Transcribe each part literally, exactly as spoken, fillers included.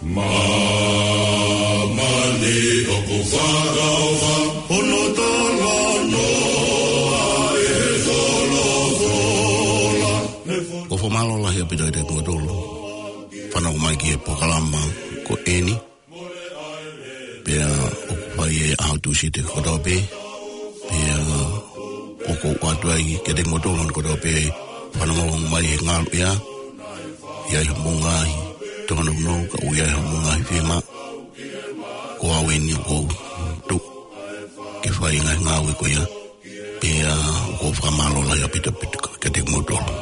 Māmani ʻoku fakaʻofa, hono talanoa ʻe he folofola. ʻOku ou fakamālō lahi ʻaupito kiate kimoutolu fanongo mai ki he polokalama ko eni. Pea ʻoku fai ʻi he ʻaho Tūsite kotoa pē. Pea ʻoku ou ʻoatu ai kiate kimoutolu kotoa pē fanongo mai he ngalu ia. ʻI ai haʻamou ngaahi tōnounou, ka ʻoku ʻi ai haʻamou ngaahi fiemaʻu. Ko au eni ʻoku ou tuʻu ke fai e ngaahi ngāue ko ia. Pea ʻoku ou fakamālō lahi ʻaupito ʻaupito kiate kimoutolu.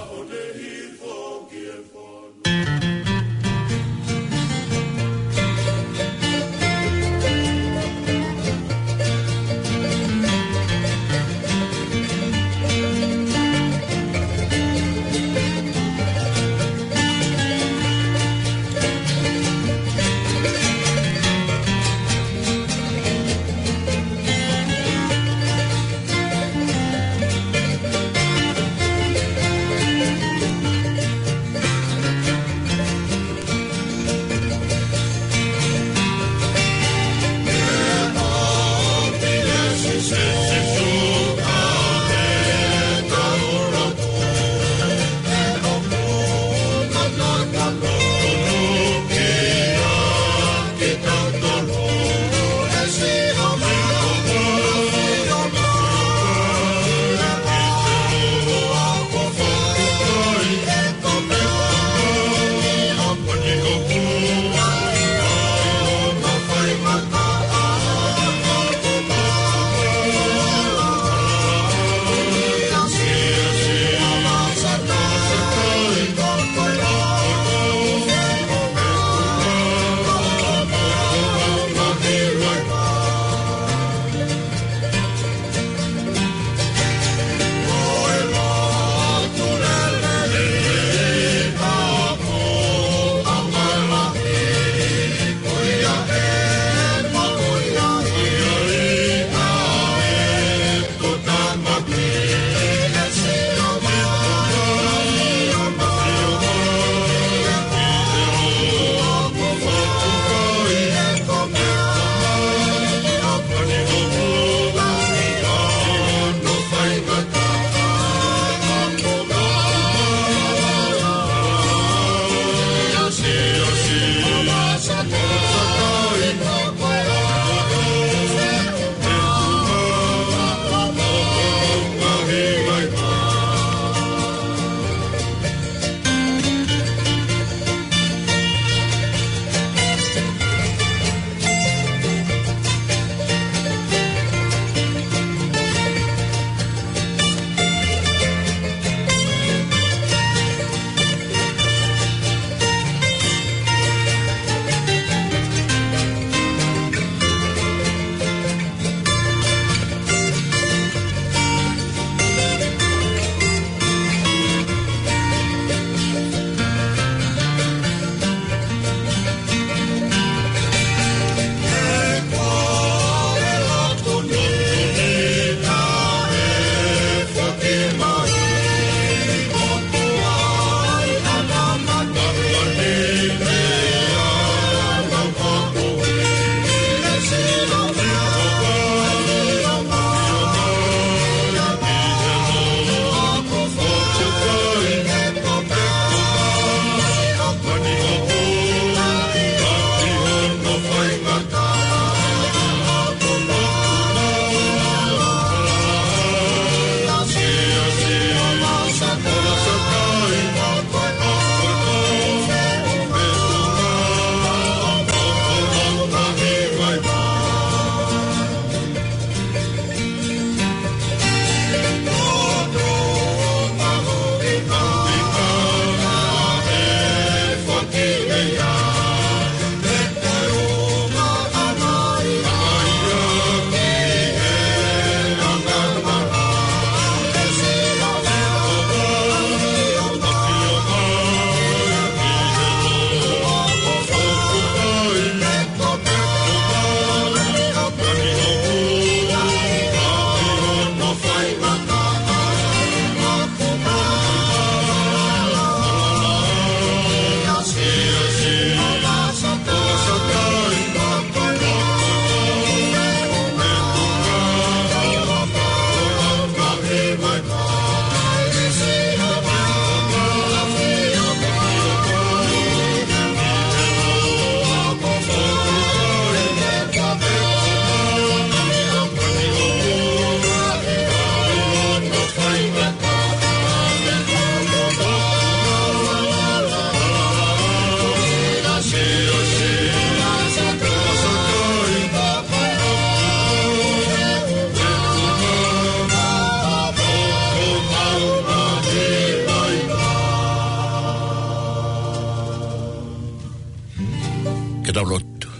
Tau lotu.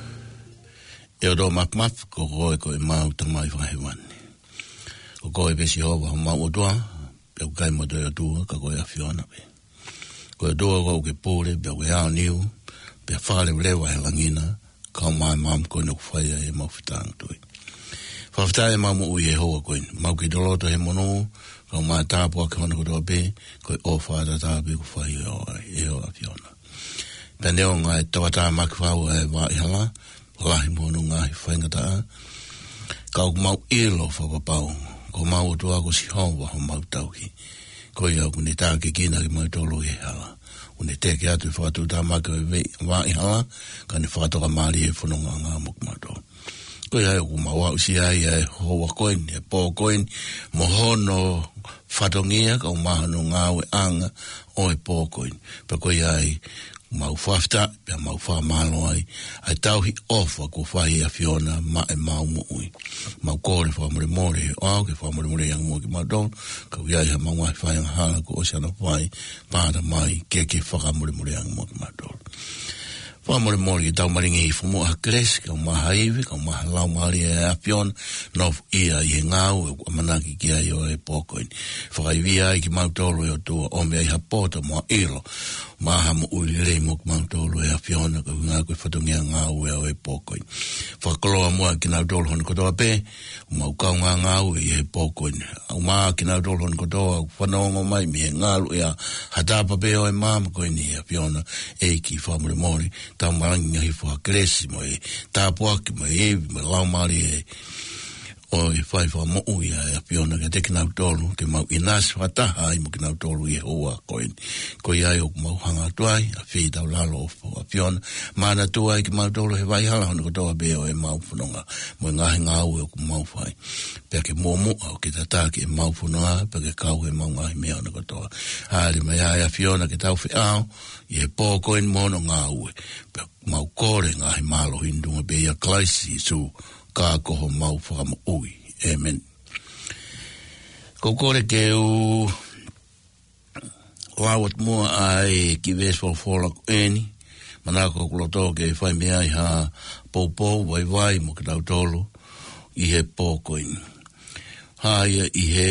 ʻE ʻOtua Māfimafi, ko koe ko ʻemau Tamai Fakahēvani. Ko koe pē Sihova homau ʻOtua, pea ʻoku ʻikai mo ha toe ʻOtua ka ko e ʻAfiona pē. Ko e ʻOtua ʻoku ke pule, pea ʻoku ke aoniu, pea fakaleveleva he langi na, kae ʻumaʻā e maama ko eni ʻoku fai ai ʻemau fetāngatui. Fakafetaʻi ʻemau moʻui he houa ko eni. Mau kei loloto he monū, kae ʻumaʻā e tāpuaki hono kotoa pē, ko e ʻofa tatau pē ʻoku fai ʻe ho, ʻe ho ʻAfiona. Pea neongo e tauʻatāmaki fau ʻa e vaʻa hala, lahi mo hono ngaahi faingataʻa, ka ʻoku mau ʻilo fakapapau, ko homau ʻOtua ko Sihova homau tauhi. Ko ia ʻoku ne tākiekina kimautolu he hala. ʻOku ne teke atu e fakatuʻutāmaki ʻo e vei, vaʻa hala, kae ne fakatokamālie e fonongaʻanga mo kimautolu. Ko ia ʻoku mau aʻusia ai ʻa e houa ko eni, e pō ko eni, mo hono fatongia, kae ʻumaʻā hono ngāueʻanga ʻo e pō ko eni. Pea ko ia ai, mau fakafetaʻi, pea mau fakamālō ai, ʻa e tauhi ʻofa kuo fai ʻe he ʻAfiona maʻa ʻemau moʻui. Mau kole fakamolemole, ʻoku ke fakamolemoleʻi ange muʻa kimautolu, ka ʻoku ʻi ai haʻamau ngaahi fai angahala kuo ʻosi hano fai, pea ʻatā mai ke ke fakamolemoleʻi ange muʻa kimautolu. Fakamolemole ke tau malingi hifo muʻa ha kelesi, kae ʻumaʻā ha ivi, kae ʻumaʻā ha Laumālie ʻa e ʻAfiona, nofoʻia ʻi he ngāue ʻoku ʻamanaki ki ai ʻo e pō ko eni. Fakaivia ai kimautolu ʻe ʻOtua, ʻomi ai ha poto mo ha ʻilo, mo ha moʻui lelei mo kimautolu ʻe he ʻAfiona, ko e ʻuhinga ko e fatongia ngāue ʻo e pō ko eni. Fakakoloa muʻa kinautolu hono kotoa pē, ʻoku mau kaungā ngāue ʻi he pō ko eni. ʻUmaʻā kinautolu hono kotoa, ʻoku fanongo mai mei he ngaluʻea, ha tapa pē ʻo e maama ko eni ʻe ʻAfiona, ʻEiki fakamolemole, tau malingi hifo ha kelesi mo e tāpuaki mo e ivi mo e Laumālie ʻo e fai fakamoʻui ʻa e ʻAfiona kiate kinautolu, ke mau ʻinasi fakataha ai mo kinautolu ʻi he houa ko eni. Ko ia ai ʻoku mau hanga atu ai, ʻa fie tau lalo ʻo ʻAfiona, manatu ai kimautolu he vaʻa hala hono kotoa pē ʻo ʻemau fononga, mo e ngaahi ngāue ʻoku mau fai. Pea ke muʻomuʻa ʻo ke tataki ʻemau fononga, pea ke kau he ʻemau ngaahi meʻa hono kotoa. Hāʻele mai ʻa e ʻAfiona ke tau feʻao, ʻi he pō ko eni mo hono ngāue. Pea mau kole ngaahi mālohi ni ʻi he huafa pē ʻo Kalaisi Sīsū, ka ko homau Fakamoʻui. ʻĒmeni. Ko e kole ke u lau atu muʻa ʻa e kiʻi veesi folofola ko eni, manako hoku loto ke fai mei ai ha poupou vaivai mo kitautolu ʻi he pō ko eni. Hā ia ʻi he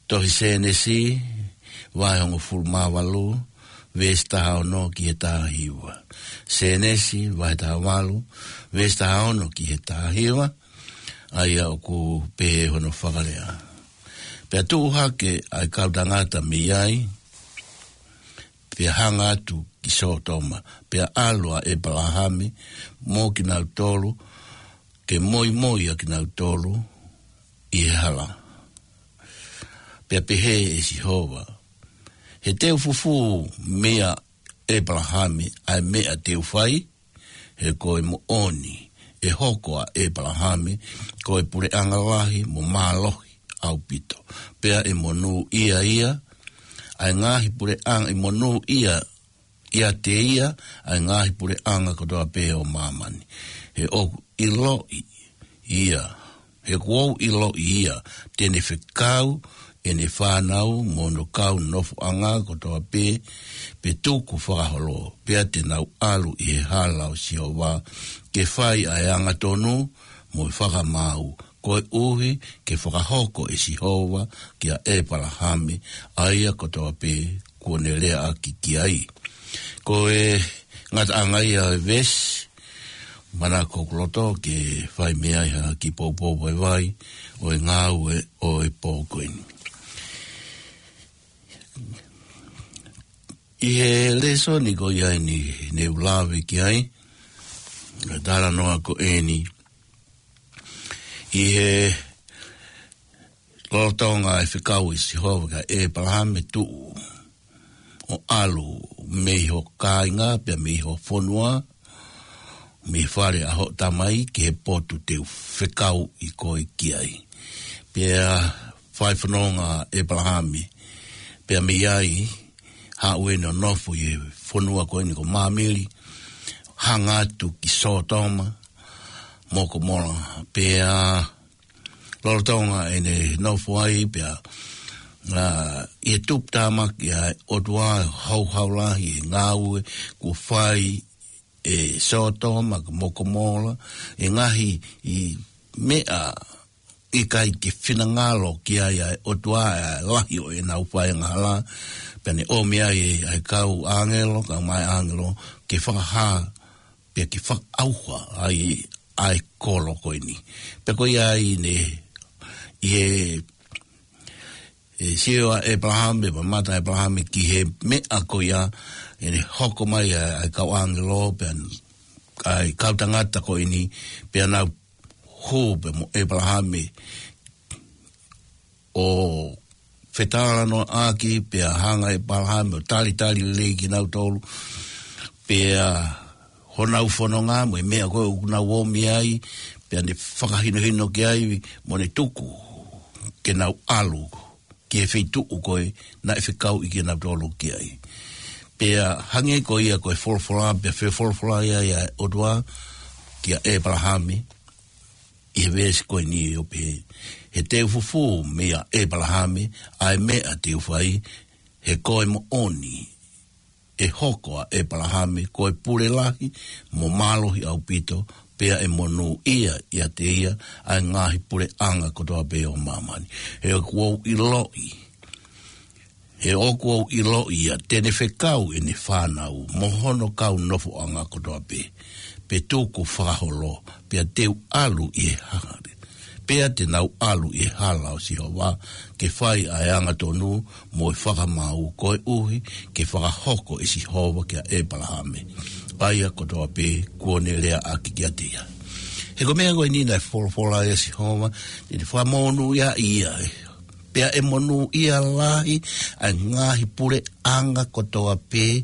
tohi Sēnesi, vahe hongofulu mā valu, veesi taha ono ki he taha hiva. Sēnesi, vahe taha valu, veesi taha ono ki he taha hiva, ʻa ia ʻoku pehē hono fakalea. Pea tuʻu hake ʻa e kau tangata mei ai, pea hanga atu ki Sōtoma, pea ʻalu ʻa ʻEpalahame mo kinautolu, ke moimoi ʻa kinautolu ʻi he hala. Pea pehē ʻe Sihova, he te u fufū meia ʻEpalahame ʻa e meʻa te u fai, he ko e moʻoni ʻe hoko ʻa ʻEpalahame ko e puleʻanga lahi mo mālohi ʻaupito. Pea ʻe monūʻia ia ʻa e ngaahi puleʻanga, ʻe monūʻia ʻiate ia ʻa e ngaahi puleʻanga kotoa pē ʻo māmani. He ʻoku ʻiloʻi ia, he kuo u ʻiloʻi ia, te ne fekau ʻene fānau mo hono kau nofoʻanga kotoa pē, pea tuku fakaholo, pea te nau ʻalu ʻi he hala ʻo Sihova, ke fai ʻa e angatonu mo e fakamaau, koeʻuhi ke fakahoko ʻe Sihova kia ʻEpalahame ʻa ia kotoa pē kuo ne leaʻaki ki ai. Ko e ngataʻanga ia ʻo e veesi, manako hoku loto ke fai mei ai ha kiʻi poupou vaivai ʻo e ngāue ʻo e pō ko eni. ʻI he lēsoni ko ia eni ne u lave ki ai, talanoa ko eni, ʻi he lolotonga e fekau ʻe Sihova kia ʻEpalahame, tuʻu ʻo ʻalu mei ho kāinga pea mei ho fonua, mei he fale ʻa hoʻo tamai ki he potu te u fekauʻi koe ki ai. Pea fai fononga ʻa ʻEpalahame, pea mei ai, haʻu ʻo nofo ʻi he fonua ko eni ko Māmili, hanga atu ki Sōtoma mo Komola, pea lolotonga ʻene nofo ai pea, ā, ʻi he tuputāmaki ʻa e ʻOtua ʻo e houhau lahi ʻi he ngāue kuo fai ʻe Sōtoma mo Komola, ʻa e ngaahi meʻa ʻikai ke finangalo ki ai ʻa e ʻOtua, ʻa e lahi ʻo ʻenau faiangahala, pea ne ʻomi ai ʻa e kau ʻāngelo, kau mai ʻāngelo, ke fakahā, pea ke fakaʻauha ai ʻa e kolo ko eni. Pea ko ia ai ne, ʻi he, ʻe sio ʻa ʻĒpalahame, pea mamata ʻa ʻĒpalahame ki he meʻa ko ia, ʻene hoko mai ʻa, ʻa e kau ʻāngelo, pea ʻa e kau tangata ko eni, pea nau hū pē mo ʻĒpalahame ʻo fetalanoaʻaki, pea hanga ʻe ʻĒpalahame ʻo talitali lelei kinautolu, pea honau fononga mo e meʻa ko ē ʻoku nau ōmi ai, pea ne fakahinohino ki ai mo ne tuku ke nau ʻalu ki he feituʻu ko ē naʻe fekauʻi kinautolu ki ai. Pea hangē ko ia ko e folofola, pea fefolofola ia ʻa e ʻOtua kia ʻĒpalahame, ʻi he veesi ko eni ʻo pehē, he te u fufū meia ʻĒpalahame ʻa e meʻa te u fai, he ko e moʻoni ʻe hoko ʻa ʻĒpalahame ko e pule lahi mo mālohi ʻaupito, pea ʻe monūʻia ʻiate ia ʻa e ngaahi puleʻanga kotoa pē ʻo māmani. He ʻoku ou ʻiloʻi, he ʻoku ou ʻiloʻi ia te ne fekau ʻene fānau mo hono kau nofoʻanga kotoa pē, pea tuku fakaholo, pea te u ʻalu ʻi he hala. Pea te nau ʻalu ʻi he hala ʻo Sihova, ke fai ʻa e angatonu mo e fakamaau, koeʻuhi ke fakahoko ʻe Sihova kia ʻĒpalahame ʻa ia kotoa pē kuo ne leaʻaki kiate ia. He ko e meʻa ko eni naʻe folofola ʻe Sihova, te ne fakamonūʻia ia, pea ʻe monūʻia lahi ʻa e ngaahi puleʻanga kotoa pē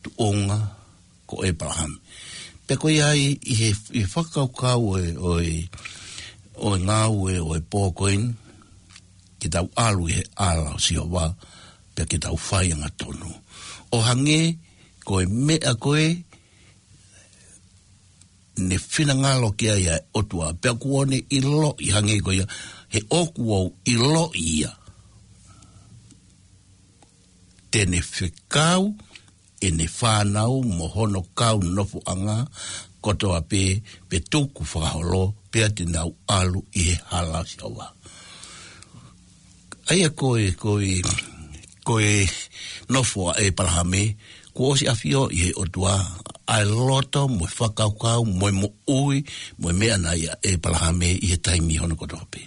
tuʻunga ko ʻĒpalahame. Pea ko ia ai ʻi he, ʻi he fakakaukau ʻo e, ʻo e, ʻo e ngāue ʻo e pō ko eni, ke tau ʻalu ʻi he hala ʻo Sihova, pea ke tau fai angatonu. ʻO hangē ko e meʻa ko ē ne finangalo ki ai ʻa e ʻOtua, pea kuo ne ʻiloʻi hangē ko ia, he ʻoku ou ʻiloʻi ia te ne fekau ʻene fānau mo hono kau nofoʻanga kotoa pē, pea tuku fakaholo, pea te nau ʻalu ʻi he hala ʻo Sihova. ʻA ia ko e, ko e, ko e nofo ʻa ʻĒpalahame, kuo ʻosi ʻafioʻi ʻe he ʻOtua ʻa e loto mo e fakakaukau mo e moʻui mo e meʻa naʻe ʻi ai ʻa ʻĒpalahame ʻi he taimi hono kotoa pē.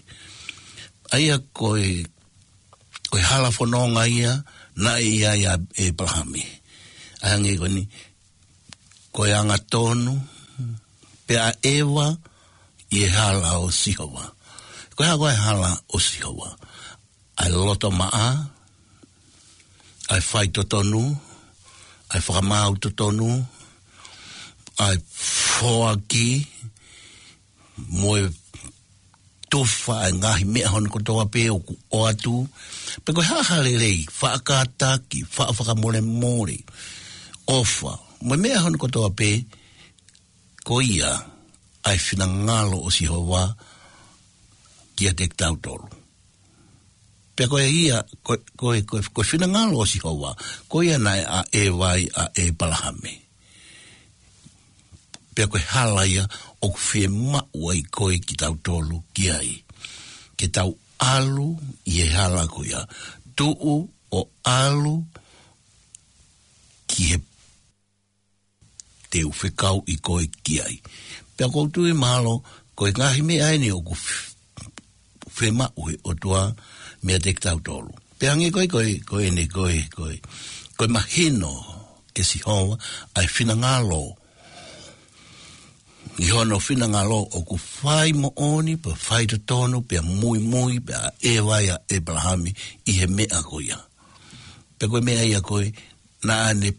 ʻA ia ko e, ko e hala fononga ia naʻe ʻi ai ʻa ʻĒpalahame. ʻA ia hangē ko eni, ko e angatonu, pea ʻeva ʻi he hala ʻo Sihova. Ko e hā ko e hala ʻo Sihova? ʻA e loto maʻa, ʻa e faitotonu, ʻa e fakamaau totonu, ʻa e foaki, mo e tufa ʻa e ngaahi meʻa hono kotoa pē ʻoku ʻoatu. Pea ko e hā ha lelei, faʻa kātaki, faʻa fakamolemole, ʻofa, mo e meʻa hono kotoa pē, ko ia ʻa e finangalo ʻo Sihova kiate kitautolu. Pea ko ia, ko, ko, ko, ko e finangalo ʻo Sihova, ko ia naʻe ʻa ʻeva ai ʻa ʻĒpalahame. Pea ko e hala ia ʻoku fiemaʻu ai koe kitautolu ki ai. Ke tau ʻalu ʻi he hala ko ia. Tuʻu ʻo ʻalu ki he te u fekauʻi koe ki ai. Pea ʻoku ou tui mahalo, ko e ngaahi meʻa eni ʻoku f-, fiemaʻu ʻe he ʻOtua meiate kitautolu. Pea hangē ko e, ko e, ko eni, ko e, ko e, ko e mahino kia Sihova ʻa e finangalo. ʻI hono finangalo ʻoku fai moʻoni, pea fai totonu, pea muimui, pea ʻeva ai ʻa ʻĒpalahame ʻi he meʻa ko ia. Pea ko e meʻa ia ko ē, naʻa ne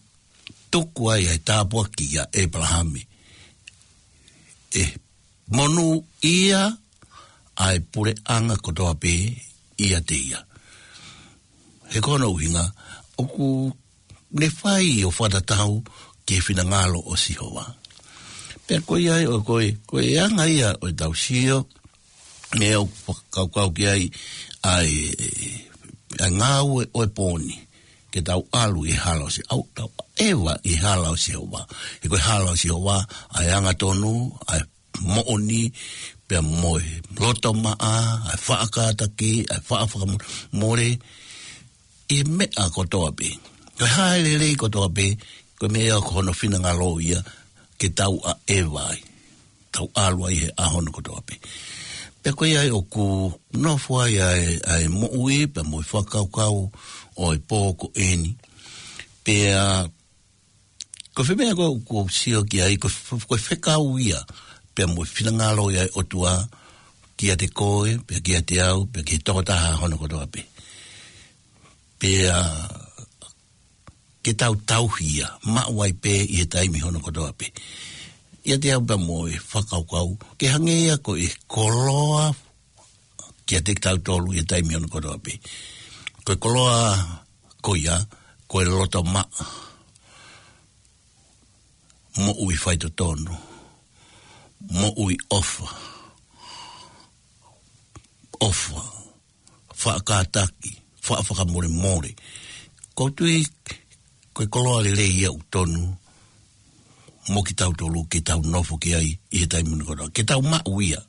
tuku ai ʻa e tāpuaki kia ʻĒpalahame. ʻE monūʻia ʻa e puleʻanga kotoa pē ʻiate ia. He ko hono ʻuhinga, ʻoku ne fai ʻo fakatatau ki he finangalo ʻo Sihova. Pea ko ia ai ʻo ko e, ko e anga ia ʻo e tau sio, meʻa ʻoku fakakaukau ki ai ʻa e, ʻa e ngāue ʻo e pō ni. ke tau ʻalu ʻi he hala ʻo Sihova, ʻo tau ʻeva ʻi he hala ʻo Sihova. He ko e hala ʻo Sihova, ʻa e angatonu, ʻa e moʻoni, pea mo e loto maʻa, ʻa e faʻa kātaki, ʻa e faʻa fakamole, ʻi he meʻa kotoa pē. Ko e hā e lelei kotoa pē, ko e meʻa ko hono finangalo ia ke tau ʻeva ai. Tau ʻalu ai he ʻaho hono kotoa pē. Pea ko ia ai ʻoku nofo ai ʻa e, ʻa e moʻui, pea mo e fakakaukau ʻo e pō ko eni. Pea ko e fē meʻa ko ē ʻoku ou sio ki ai, ko e f-, ko e fekau ia, pea mo e finangalo ia ʻa e ʻOtua, kiate koe, pea kiate au, pea ki he tokotaha hono kotoa pē. Pea ke tau tauhi ia, maʻu ai pē ʻi he taimi hono kotoa pē. ʻIate au pea mo e fakakaukau, ke hangē ia ko e koloa kiate kitautolu ʻi he taimi hono kotoa pē. Ko e koloa ko ia, ko e loto maʻa, moʻui faitotonu, moʻui ʻofa, ʻofa, faʻa kātaki, faʻa fakamolemole. ʻOku ou tui ko e koloa lelei ia ʻoku tonu mo kitautolu ke tau nofo ki ai ʻi he taimi ni kotoa. Ke tau maʻu ia.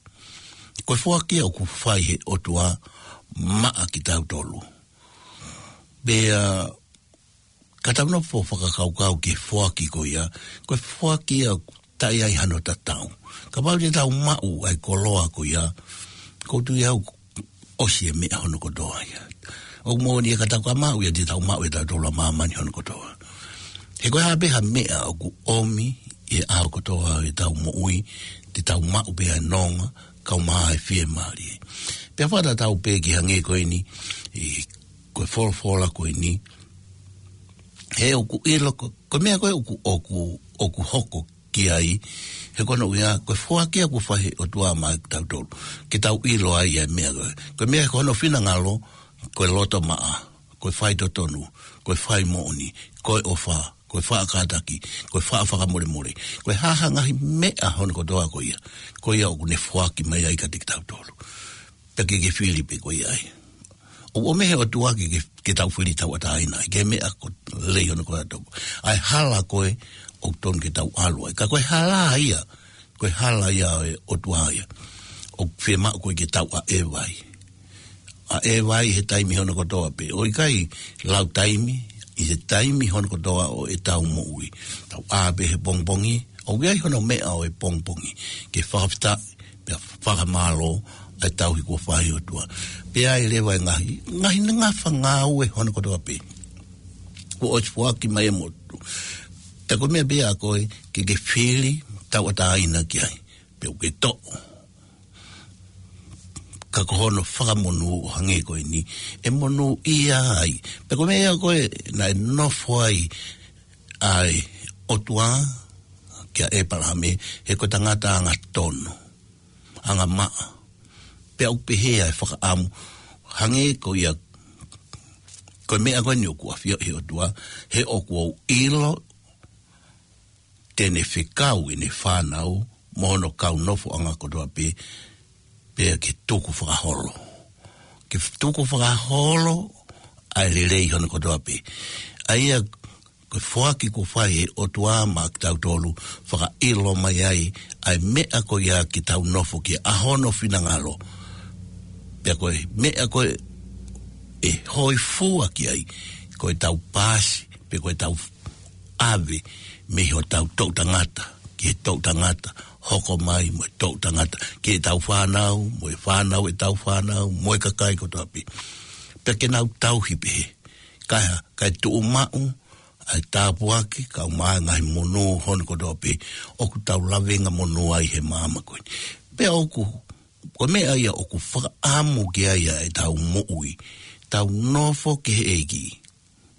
Ko e foaki ia ʻoku fai he ʻOtua maʻa kitautolu. Pea ka tau nofo fakakaukau ki he foaki ko ia, ko e foaki ia ʻoku taʻe ʻi ai hano tatau. Kapau te tau maʻu ʻa e koloa ko ia, ʻoku ou tui au ʻosi e meʻa hono kotoa ia. ʻOku moʻoni ia ka tau ka maʻu ia te tau maʻu ʻe tautolu ʻa māmani hono kotoa. He ko e hā pē ha meʻa ʻoku ʻomi ʻi he ʻaho kotoa ʻetau moʻui, te tau maʻu pē ʻa e nonga, kae ʻumaʻā e fiemālie. Pea fakatatau pē ki he hangē ko eni, ʻi he ko e folofola ko eni, he ʻoku ʻilo ko, ko e meʻa ko ē ʻoku, ʻoku, ʻoku hoko ki ai, he ko hono ʻuhinga, ko e foaki ia ʻoku fai he ʻOtua maʻa kitautolu. Ke tau ʻilo ai ʻa e meʻa ko ē. Ko e meʻa ko hono finangalo, ko e loto maʻa, ko e faitotonu, ko e fai moʻoni, ko e ʻofa, ko e faʻa kātaki, ko e faʻa fakamolemole. Ko e hā ha ngaahi meʻa hono kotoa ko ia. Ko ia ʻoku ne foaki mai ai kiate kitautolu. Pea ke ke fili pē ko ia ai. ʻOku ʻomai he ʻOtua ke, ke, ke tau fili tauʻatāina, ʻi he meʻa ko e lelei hono kotoa. ʻA e hala ko ē ʻoku tonu ke tau ʻalu ai. Ka ko e hala ia, ko e hala ia ʻo e ʻOtua ia. ʻOku fiemaʻu ko ē ke tau ʻeva ai. ʻEva ai he taimi hono kotoa pē. ʻOku ʻikai lau taimi, ʻi he taimi hono kotoa ʻo ʻetau moʻui. Tau ʻā pē he pongipongi, ʻoku ʻi ai hono meʻa ʻo e pongipongi. Ke fakafetaʻi, pea fakamālō, ʻa e tauhi kuo fai ʻe he ʻOtua. Pea ʻi ai leva e ngaahi, ngaahi ngafa ngāue hono kotoa pē. Kuo ʻosi foaki mai ʻe he motu. Pea ko e meʻa pē ia ko ē, ke ke fili, tauʻatāina ki ai. Pea ʻoku ke toʻo. Ka ko hono fakamonū ʻo hangē ko eni, ʻe monūʻia ai. Pea ko e meʻa ia ko ē, naʻe nofo ai, ʻa e ʻOtua, kia ʻEpalahame, he ko e tangata angatonu, angamaʻa. Pea ʻoku pehē ʻa e fakaʻamu, hangē ko ia, ko e meʻa ko eni ʻoku ʻafioʻi he ʻOtua, he ʻoku ou ʻilo, te ne fekau ʻene fānau, mo hono kau nofoʻanga kotoa pē, pea ke tuku fakaholo. Ke tuku fakaholo, ʻa e lelei hono kotoa pē. ʻA ia, ko e foaki kuo fai ʻe he ʻOtua maʻa kitautolu, fakaʻilo mai ai, ʻa e meʻa ko ia ke tau nofo ki ai, ʻa hono finangalo. Pea ko e meʻa ko ē, ʻe hōifua ki ai, ko ʻetau paasi, pe ko ʻetau ʻave mei hotau toʻutangata, ki he toʻutangata, hoko mai mo e toʻutangata, ki heʻetau fānau, mo e fānau ʻetau fānau, mo e kakai kotoa pē. Pea ke nau tauhi pē he, kae, kae tuʻumaʻu, ʻa e tāpuaki, kae ʻumaʻā e ngaahi monū hono kotoa pē, ʻoku tau lavengamonū ai he māmani ko eni. Pea ʻoku, ko e meʻa ia ʻoku fakaʻamu ki ai ʻa ʻetau moʻui, tau nofo ki he ʻEiki.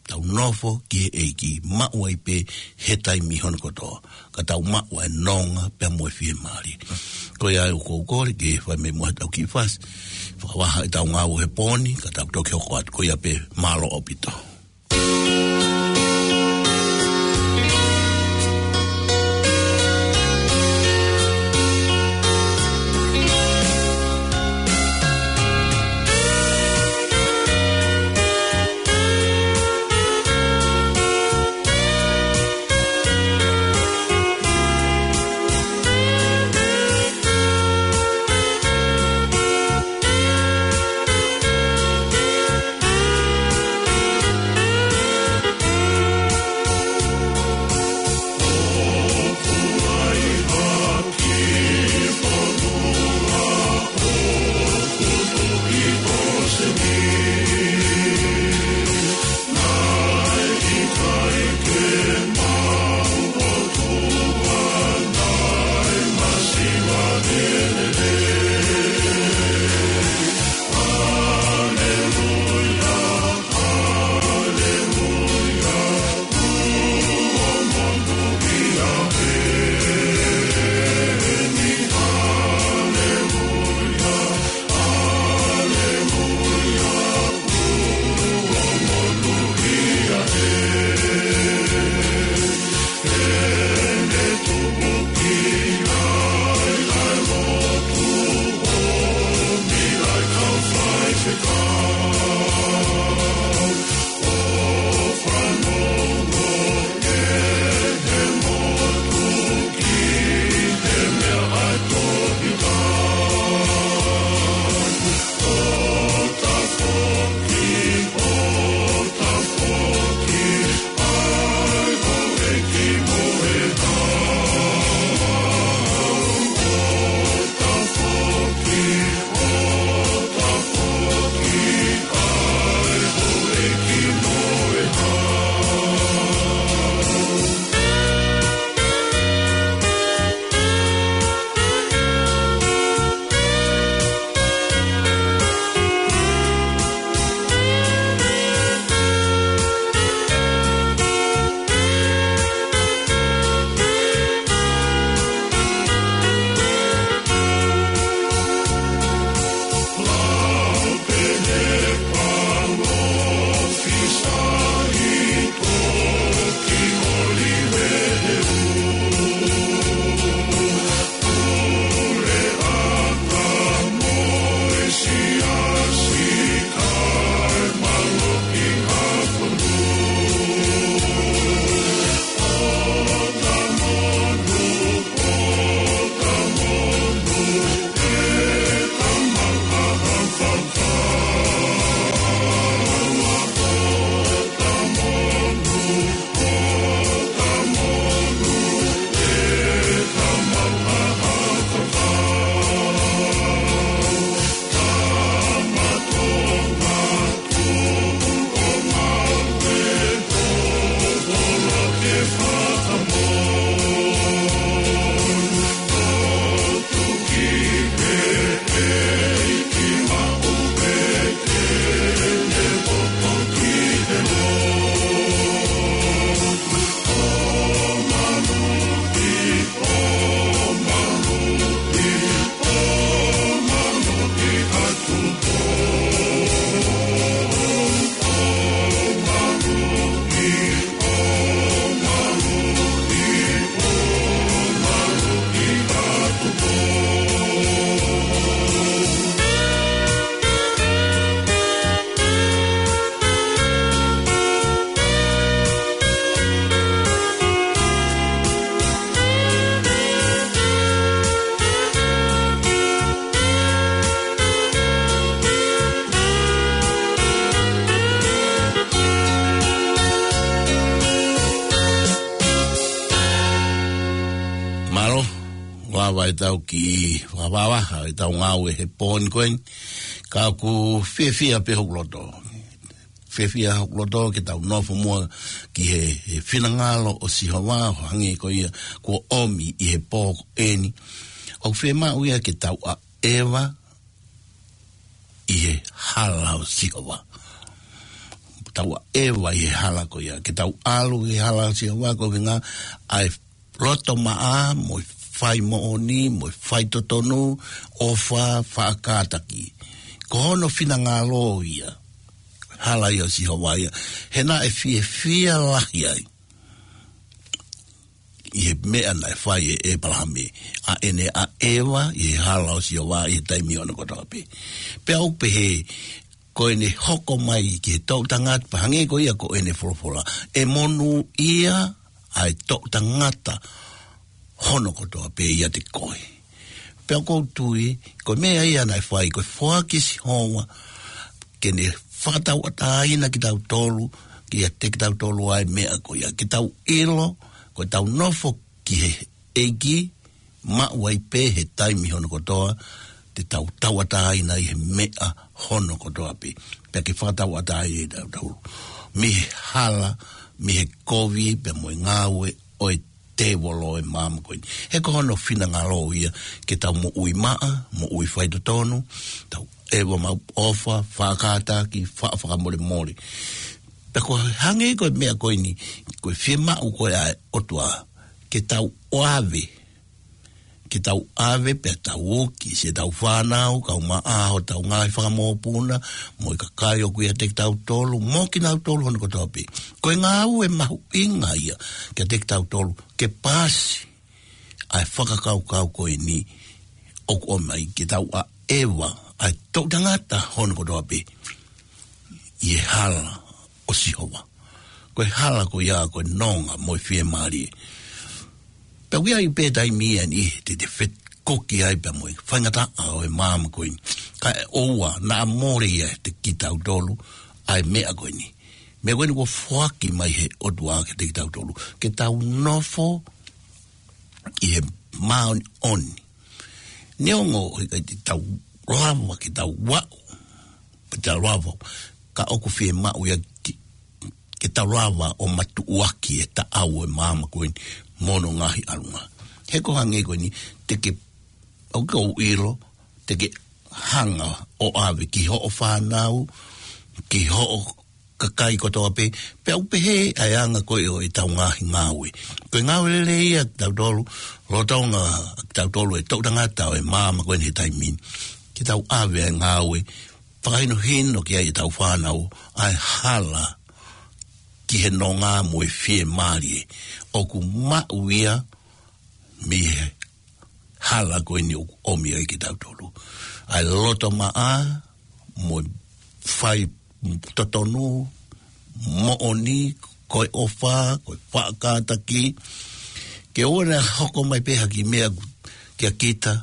Tau nofo ki he ʻEiki, maʻu ai pē he taimi hono kotoa. Ka tau maʻu ʻa e nonga pea mo e fiemālie. Ko ia ʻoku ou kole ke fai mai muʻa ʻetau kiʻi fasi. Fakavaha ʻetau ngāue he pō ni, ka tau toki hoko atu ko ia pē mālō ʻaupito. Mālō, lava ʻetau kiʻi fakavavevave ʻetau ngāue he pō ni ko eni. Ka ʻoku fiefia pē hoku loto. Fiefia hoku loto ke tau nofo muʻa ki he, he finangalo ʻo Sihova, ʻo hangē ko ia kuo ʻomi ʻi he pō ko eni. ʻOku fiemaʻu ia ke tau ʻaʻeva ʻi he hala ʻo Sihova. Tau ʻaʻeva ʻi he hala ko ia. Ke tau ʻalu ʻi he hala ʻo Sihova, ko e ʻuhinga ʻa e loto maʻa, mo e fai moʻoni, mo e fai totonu, ʻofa, faʻa kātaki. Ko hono finangalo ia. Hala ia ʻo Sihova ia. He naʻe fiefia lahi ai ʻi he meʻa naʻe fai ʻe ʻEpalahame, ʻa ʻene ʻaʻeva ʻi he hala ʻo Sihova ʻi he taimi ʻo hono kotoa pē. Pea ʻoku pehē, ko ʻene hoko mai ki he toʻu tangata, pea hangē ko ia ko ʻene folofola, ʻe monūʻia ʻa e toʻu tangata hono kotoa pē ʻiate koe. Pea ʻoku ou tui, ko e meʻa ia naʻe fai, ko e foaki ʻe Sihova ke ne fakatauʻatāina kitautolu, kiate kitautolu ʻa e meʻa ko ia. Ke tau ʻilo, ko ʻetau nofo ki he ʻEiki, maʻu ai pē he taimi hono kotoa, te tau tauʻatāina ʻi he meʻa hono kotoa pē. Pea ke fakatauʻatāina kitautolu mei he hala, mei he kovi, pea mo e ngāue ʻo e tēvolo ʻi he māmani ko eni. He ko hono finangalo ia ke tau moʻui maʻa, moʻui fai totonu, tau ʻaʻeva maʻu ʻofa, faʻa kātaki, faʻa fakamolemole. Pea ko e hangē ko e meʻa ko eni, ko e fiemaʻu ko ē ʻa e ʻOtua, ke tau ʻave, ke tau ʻave pea tau uki siʻetau fānau, kau maʻa hotau ngaahi fakamokopuna, mo e kakai ʻoku ʻiate kitautolu, mo kinautolu hono kotoa pē. Ko e ngāue mahuʻinga ia kiate kitautolu, ke paasi ʻa e fakakaukau ko eni ʻoku ʻomai, ke tau ʻaʻeva ʻa e toʻu tangata hono kotoa pē ʻi he hala ʻo Sihova. Ko e hala ko ia ko e nonga mo e fiemālie. Pea ʻoku ʻi ai pē taimi ia ni te te fekoki ai pea mo e faingataʻa ʻo e māmani ko eni. Kae ʻoua naʻa mole ia ʻiate kitautolu ʻa e meʻa ko eni. Meʻa ko eni kuo foaki mai he ʻOtua kiate kitautolu, ke tau nofo ʻi he māʻoniʻoni. Neongo he ʻikai te tau lava ke tau aʻu, pe tau lava, ka ʻoku fiemaʻu ia ke, ke tau lava ʻo matuʻuaki e taʻau ʻo e māmani ko eni mo hono ngaahi ʻalunga. He ko e hangē ko eni, te ke, ʻoku ou ʻilo, te ke hanga ʻo ʻave ki hoʻo fānau, ki hoʻo kakai kotoa pē, pea ʻoku pehē ʻa e anga ko ē ʻo ʻetau ngaahi ngāue. Ko e ngāue lelei ia kiate kitautolu, lolotonga kitautolu e toʻu tangata ʻo e māmani ko eni he taimi ni. Ke tau ʻave ʻa e ngāue fakahinohino ki ai ʻetau fānau, ʻa e hala ki he nonga mo e fiemālie ʻoku maʻu ia mei he hala ko eni ʻoku ʻomi ai kitautolu. ʻA e loto maʻa, mo e fai totonu, moʻoni, ko e ʻofa, ko e faʻa kātaki, ke ʻoua naʻa hoko mai pē ha kiʻi meʻa kia kita,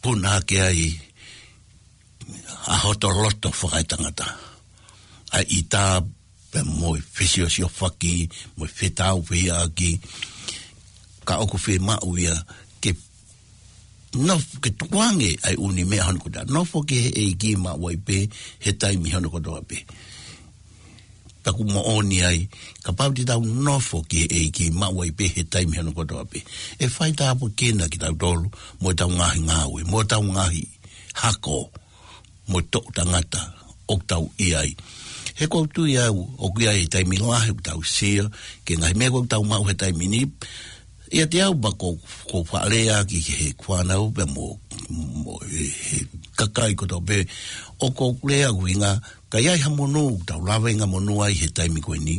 puna hake ai ʻa hoto loto fakaetangata. ʻA e ʻita pea mo e fesiosiofaki, mo e fetaufehiʻaki, ka ʻoku fiemaʻu ia ke nofo, ke tukuange ʻa e ʻū meʻa hono kotoa. Nofo ki he ʻEiki maʻu ai pē he taimi hono kotoa pē. Pea ʻoku moʻoni ai, kapau te tau nofo ki he ʻEiki maʻu ai pē he taimi hono kotoa pē, ʻe faitāpuekina kitautolu, mo ʻetau ngaahi ngāue, mo ʻetau ngaahi hako, mo e toʻu tangata ʻoku tau ʻi ai. He ʻoku ou tui au, ʻoku ʻi ai e taimi lahi ʻoku tau sio ki he ngaahi meʻa ʻoku tau maʻu he taimi ni. ʻIate au pea ʻoku ou, ʻoku ou faʻa lea ki he fānau pea mo, mo e, he kakai kotoa pē, ʻoku ou lea ʻuhinga, ka ʻi ai ha monū ʻoku tau lava ʻo monū ai he taimi ko eni,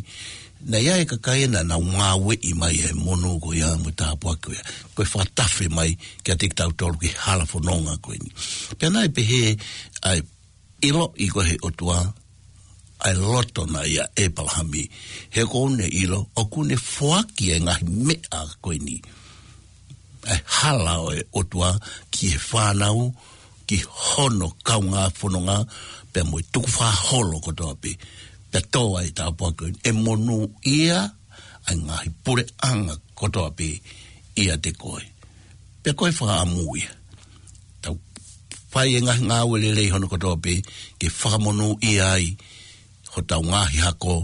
naʻe ʻi ai e kakai naʻa nau ngāueʻi mai e monū ko ia mo e tāpuaki ko ia. Ko e fakatafe mai kiate kitautolu ki he hala fononga ko eni. Pea naʻe pehē ʻa e ʻiloʻi ko ē he ʻOtua ʻa e loto naʻe ʻia ʻEpalahame. He ʻoku ne ʻilo, ʻoku ne foaki e ngaahi meʻa ko eni, ʻa e hala ʻo e ʻOtua ki he fānau, ki hono kaungā fononga, pea mo e tukufakaholo kotoa pē. Pea tō ai e tāpuaki ko eni, ʻe monūʻia ʻa e ngaahi puleʻanga kotoa pē ʻiate koe. Pea ko e fakaʻamu ia. Tau fai e ngaahi ngāue lelei hono kotoa pē, ke fakamonūʻia ai hotau ngaahi hako,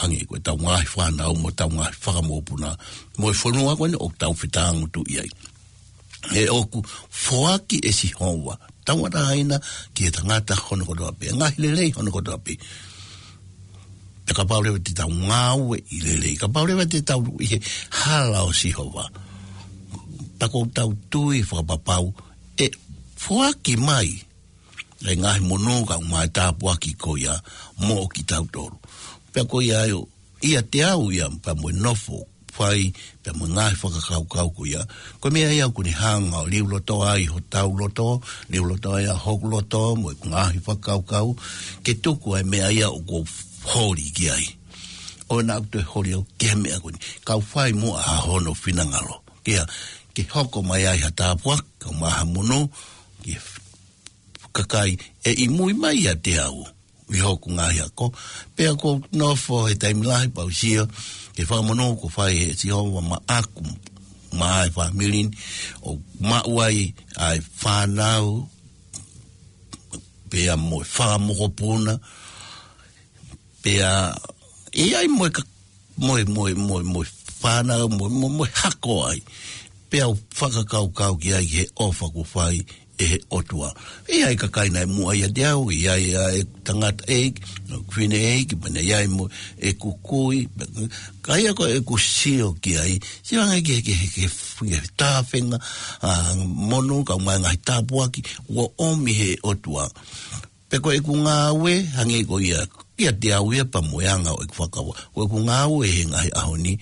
hangē ko ʻetau ngaahi fānau mo ʻetau ngaahi fanga mokopuna, mo e fonua ko eni ʻoku tau fetāngutuʻi ai. He ʻoku foaki ʻe Sihova tauʻatāina ki he tangata hono kotoa pē, ngaahi lelei hono kotoa pē. Pea kapau leva te tau ngāueʻi lelei, kapau leva te tau ʻi he hala ʻo Sihova, pea ʻoku tau tui fakapapau ʻe foaki mai e ngaahi monū kae ʻumaʻā e tāpuaki ko ia moʻo kitautolu. Pea ko ia ai ʻo, ʻiate au ia pea mo e nofo fai, pea mo e ngaahi fakakaukau ko ia. Ko e meʻa ia ʻoku ne hanga ʻo liuloto ai hotau loto, liuloto ai ʻa hoku loto, mo e ngaahi fakakaukau, ke tuku ai e meʻa ia ʻoku ou holi ki ai. ʻOua naʻa toe holi au ki he meʻa ko eni. Kau fai muʻa ʻa hono finangalo. Ke ʻa, ke hoko mai ai ha tāpuaki, kae ʻumaʻā ha monū, ki he kakai ʻe ʻi mui mai ʻiate au ʻi hoku ngaahi ako. Pea ʻoku ou nofo he taimi lahi pea u sio ki he fakamonū kuo fai ʻe Sihova maʻaku, maʻa e fāmili ni, ʻo maʻu ai ʻa e fānau, pea mo e fanga mokopuna, pea ʻi ai mo e ka-, mo e, mo e, mo e, mo e fānau, mo e, mo e, mo e hako ai. Pea u fakakaukau ki ai ki he ʻofa kuo fai ʻe he ʻOtua. ʻI ai e kakai naʻe muʻa ʻiate au, ʻi ai ʻa e tangataʻeiki, ʻo fine ʻeiki, pea naʻe ʻi ai mo e kukui, ka ia ko ʻeku sio ki ai, sio ange ki he, ki he, ki he, ki he tāfenga, ʻa, monū kae ʻumaʻā e ngaahi tāpuaki, ʻoku ʻomi ʻe he ʻOtua. Pea ko ʻeku ngāue, hangē ko ia, ʻiate au ia pea mo e anga ʻo ʻeku fakakaukau. Ko ʻeku ngāue he ngaahi ʻaho ni,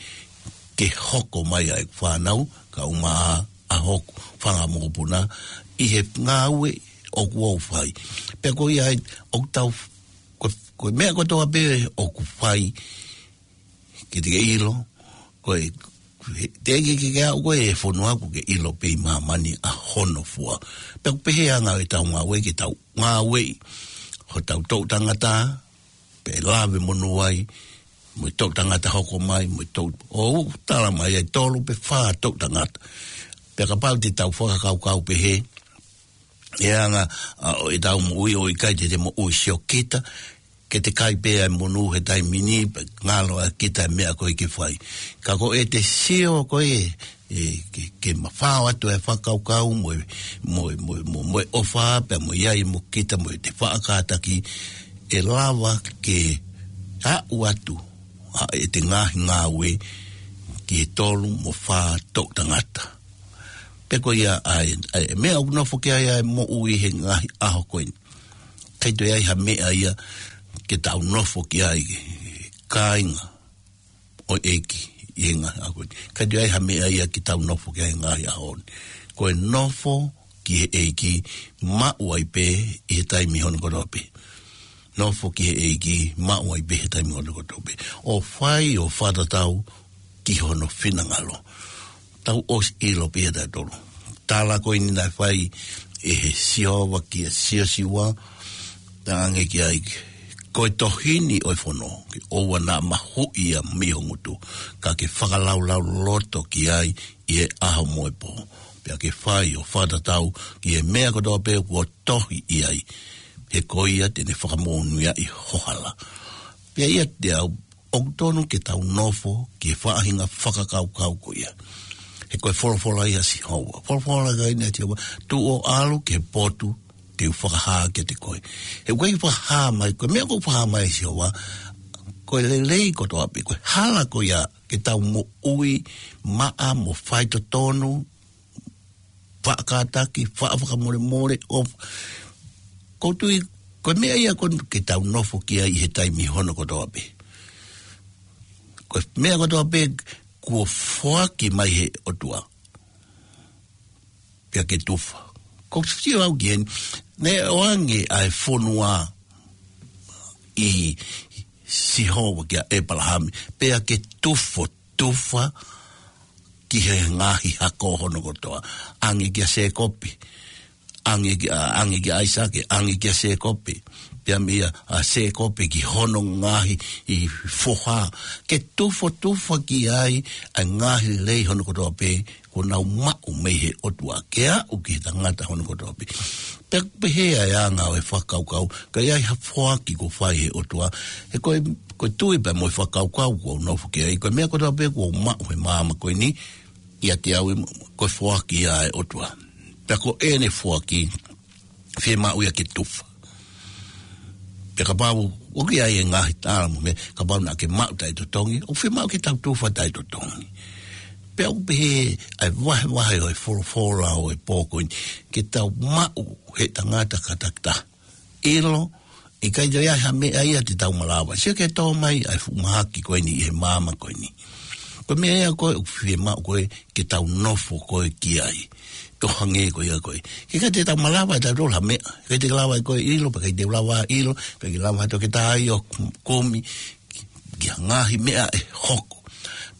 ke hoko mai ʻa ʻeku fānau, kae ʻumaʻā ʻa hoku fanga mokopuna, ʻi he ngāue ʻoku ou fai. Pea ko ia ai, ʻoku tau, ko, ko e meʻa kotoa pē ʻoku fai, ke te ke ʻilo, ko e, he, teʻeki ke, ke aʻu koe he fonua kuo ke ʻilo pē ʻi māmani ʻa hono fua. Pea ʻoku pehē ʻa e anga ʻetau ngāue ke tau ngāueʻi hotau toʻu tangata, pea ʻe lave monū ai, mo e toʻu tangata hoko mai, mo e toʻu, ʻo tala mai ai tolu pe fā toʻu tangata. Pea kapau te tau fakakaukau pehē, ʻe anga, ʻa, ʻo ʻetau moʻui ʻo ʻikai te te moʻui siokita, ke te kai pē ʻa e monū he taimi ni, pea ngalo ʻa kita e meʻa ko ē ke fai. Ka ko ʻete sio ko ē, ʻe, ke, ke mafao atu e fakakaukau mo e, mo e, mo e, mo e, mo e ʻofa, pea mo e ʻi ai mo kita mo ʻete faʻa kātaki, ʻe lava ke aʻu atu ʻa ʻete ngaahi ngāue ki he tolu mo fā toʻu tangata. Pea ko ia ai, ʻa e meʻa ʻoku nofo ki ai ʻa e moʻui he ngaahi ʻaho ko eni. ʻIkai toe ʻi ai ha meʻa ia ke tau nofo ki ai, kāinga ʻo e ʻEiki, ʻi he ngaahi ʻaho ko eni. ʻIkai toe ʻi ai ha meʻa ia ke tau nofo ki ai he ngaahi ʻaho ni. Ko e nofo ki he ʻEiki, maʻu ai pē ʻi he taimi hono kotoa pē. Nofo ki he ʻEiki, maʻu ai pē he taimi hono kotoa pē. ʻO fai ʻo fakatatau ki hono finangalo. Tau ʻosi ʻilo pē ia tautolu. Tala ko eni naʻe fai ʻe he Sihova kia Siosiua, talaange ki ai, ko e tohi ni ʻo e fono, ke ʻoua naʻa mahuʻi ia mei ho ngutu, ka ke fakalaulauloto ki ai ʻi he ʻaho mo e pō. Pea ke fai ʻo fakatatau ki he meʻa kotoa pē kuo tohi ʻi ai. He ko ia te ne fakamonūʻia ʻi ho hala. Pea ʻiate au, ʻoku tonu ke tau nofo ki he faʻahinga fakakaukau ko ia. He ko e folofola ia ʻa Sihova. Folofola ko eni ʻa Sihova, tuʻu ʻo ʻalu ki he potu te u fakahā kiate koe. He ʻoku ʻikai fakahā mai, ko e meʻa ʻoku fakahā mai ʻe Sihova, ko e lelei kotoa pē, ko e hala ko ia ke tau moʻui maʻa mo faitotonu, faʻa kātaki, faʻa fakamolemole, ʻo, ʻoku ou tui, ko e meʻa ia ko eni ke tau nofo ki ai ʻi he taimi hono kotoa pē. Ko e meʻa kotoa pē kuo foaki mai ʻe he ʻOtua, pea ke tufa. ʻOku ou sio au ki heni, naʻe ʻoange ʻa e fonua ʻe Sihova kia ʻĒpalahame, pea ke tufa, tufa ki he ngaahi hako hono kotoa. ʻAnge kia Sēkope, ʻange kia, ʻange kia ʻAisake, ʻange kia Sēkope. Pea meia ʻa Sēkope ki hono ngaahi foha. Ke tufa, tufa ki ai ʻa e ngaahi lelei hono kotoa pē kuo nau maʻu mei he ʻOtua ke aʻu ki he tangata hono kotoa pē. Pea pehē ʻa e anga ʻo e fakakaukau, ka ʻi ai ha foaki kuo fai he ʻOtua, he ko e, ko e tui pea mo e fakakaukau kuo u nofo ki ai, ko e meʻa kotoa pē kuo u maʻu he māmani ko eni, ʻiate au ē, ko e foaki ia ʻa e ʻOtua. Pea ko ʻene foaki, fiemaʻu ia ke tufa. Pea kapau ʻoku ʻi ai e ngaahi tala mo e meʻa, kapau naʻa ke maʻu taʻetotongi, ʻoku fiemaʻu ke tau tufa taʻetotongi. Pea ʻoku pehē ʻa e vahevahe ʻo e folofola ʻo e pō ko eni, ke tau maʻu he tangata kātaki taha. ʻIlo, ʻikai toe ʻi ai ha meʻa ia te tau malava. Sio ki he tō mai ʻa e fuʻu mahaki ko eni ʻi he māmani ko eni. Ko e meʻa ia ko ē ʻoku fiemaʻu ko ē ke tau nofo ko ē ki ai. ʻO hangē ko ia ko ē. He ʻikai te tau malava ʻe tautolu ha meʻa. ʻIkai te lava ʻe koe ʻilo, pea ʻikai te lava ʻilo, ʻikai te lava ʻe ha toketā ia ʻo kumi ki ha ngaahi meʻa ʻe hoko.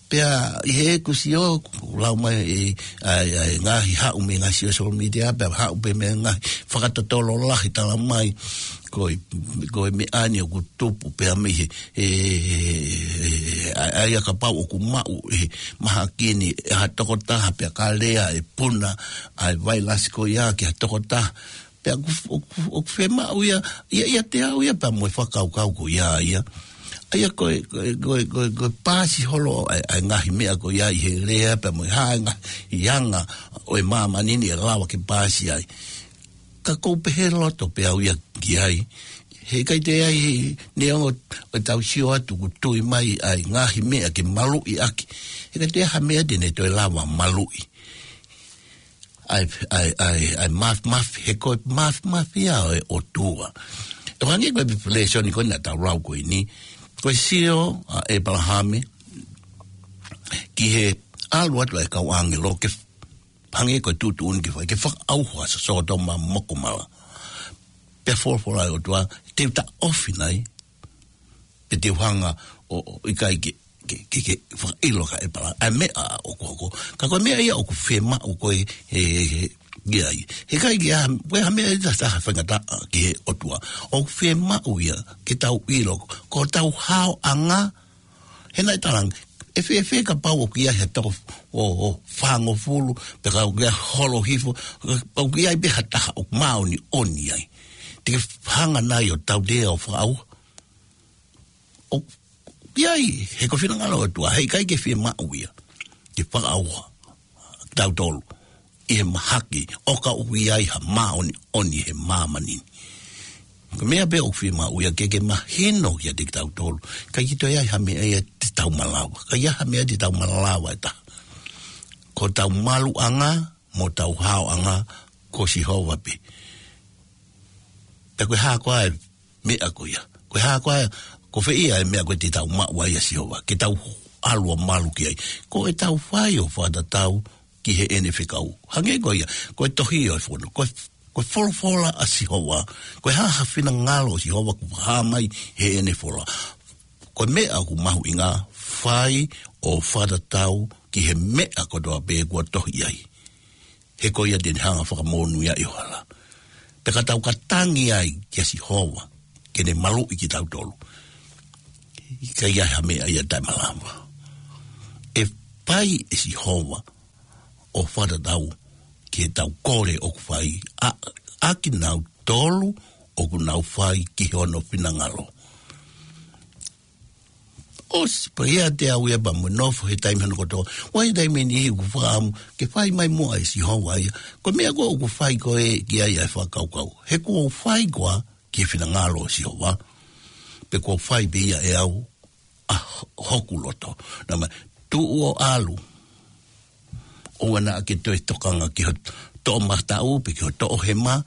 Pea ʻi heʻeku sio, ʻoku lau mai ʻe, ʻa e, ʻa e ngaahi haʻu mei he ngaahi social media, pea haʻu pē mei he ngaahi fakatotolo lahi tala mai, ko e, ko e meʻa ni ʻoku tupu pē ia mei he, he, he, he, he, ʻa, ʻa ia kapau ʻoku maʻu ʻe he mahaki ni ʻe ha tokotaha pea ka lea ʻe puna ʻa e vailasi ko ia ki ha tokotaha. Pea ʻoku, ʻoku, ʻoku fiemaʻu ia, ia, ʻiate au ia pea mo e fakakaukau ko ia ia. ʻA ia ko e, ko e, ko e, ko e, ko e paasi holo ʻa e, ʻa e ngaahi meʻa ko ia ʻi he lea pea mo e hā e ngaahi anga ʻo e māmani ni ʻe lava ke paasi ai. Ka ʻoku ou pehē loto pē au ia ki ai. He ʻikai toe ʻi ai, neongo ʻetau sio atu ʻoku tui mai ʻa e ngaahi meʻa ke maluʻi ʻaki. He ʻikai toe ʻi ai ha meʻa te ne toe lava maluʻi ʻa e, ʻa e, ʻa e, ʻa e mafimafi, he ko e mafimafi ia ʻo e ʻOtua. ʻO hangē ko e lēsoni ko ē naʻa tau lau ko eni, ko e sio ʻa ʻĒpalahame ki he ʻalu atu ʻa e kau ʻāngelo ke hangē ko e tuʻutuʻuni ke fai, ke fakaʻauha ʻa Sōtoma mo Komala. Pea folofola ʻa e ʻOtua, te u taʻofi nai, pe te u hanga ʻo, ʻo ʻikai ke, ke, ke, ke fakaʻilo kia ʻĒpalahame ʻa e meʻa ʻoku hoko. Ka ko e meʻa ia ʻoku fiemaʻu ko ē, he, he, he, ia ai. He ʻikai ke ʻi ai, ko e hā e meʻa ia ʻe taha faingataʻa ki he ʻOtua. ʻOku fiemaʻu ia, ke tau ʻilo, ko hotau haoʻanga, he naʻe talaange, ʻe fēfē kapau ʻoku ʻi ai ha toko ʻo, ʻo fāngofulu, pe ka ʻoku ʻi ai holo hifo, ʻoku ʻi ai pē ha taha ʻoku māʻoniʻoni ai. Te ke hanga nai ʻo tautea ʻo fakaʻauha. ʻOku ʻi ai, he ko e finangalo ʻo e ʻOtua, he ʻikai ke fiemaʻu ia ke fakaʻauha tautolu ʻi he mahaki, ʻo ka ʻoku ʻi ai ha māʻoniʻoni he māmani ni. Ko e meʻa pē ʻoku fiemaʻu ia ke, ke mahino kiate kitautolu, ʻikai ke toe ʻi ai ha meʻa ia te tau malava, ʻikai ʻi ai ha meʻa te tau malava ʻe taha. Ko hotau maluʻanga mo hotau haoʻanga ko Sihova pē. Pea ko e hā koā e meʻa ko ia? Ko e hā koā, ko fē ia e meʻa ko ē te tau maʻu ai ʻa Sihova, ke tau ʻalu ʻo malu ki ai? Ko ʻetau fai ʻo fakatatau ki heʻene fekau. Hangē ko ia, ko e tohi ʻo e fono, ko e, ko e folofola ʻa Sihova, ko e hā ha finangalo ʻo Sihova kuo fakahā mai heʻene folofola. Ko e meʻa ʻoku mahuʻinga, fai ʻo fakatatau ki he meʻa kotoa pē kuo tohi ai. He ko ia te ne hanga ʻo fakamonūʻia ʻi ho hala. Pea ka tau ka tangi ai kia Sihova ke ne maluʻi kitautolu, ʻikai ʻi ai ha meʻa ia te tau malava. ʻE fai ʻe Sihova ʻo fakatatau ki heʻetau kole ʻoku fai ʻa, ʻa kinautolu ʻoku nau fai ki hono finangalo. ʻOsi, pea ʻiate au ia pea mo e nofo he taimi hono kotoa. ʻOku ʻi ai e taimi ʻe niʻihi ʻoku fakaʻamu ke fai mai muʻa ʻe Sihova ia. Ko e meʻa ko ē ʻoku fai ko ē ki ai ʻa e fakakaukau, he kuo u fai koā ki he finangalo ʻo Sihova, pe kuo u fai pē ia ʻe au ʻa hoku loto? Naʻa ma tuʻu ʻo ʻalu, ʻoua naʻa ke toe tokanga ki ho toʻomataʻu pe ki ho toʻohema.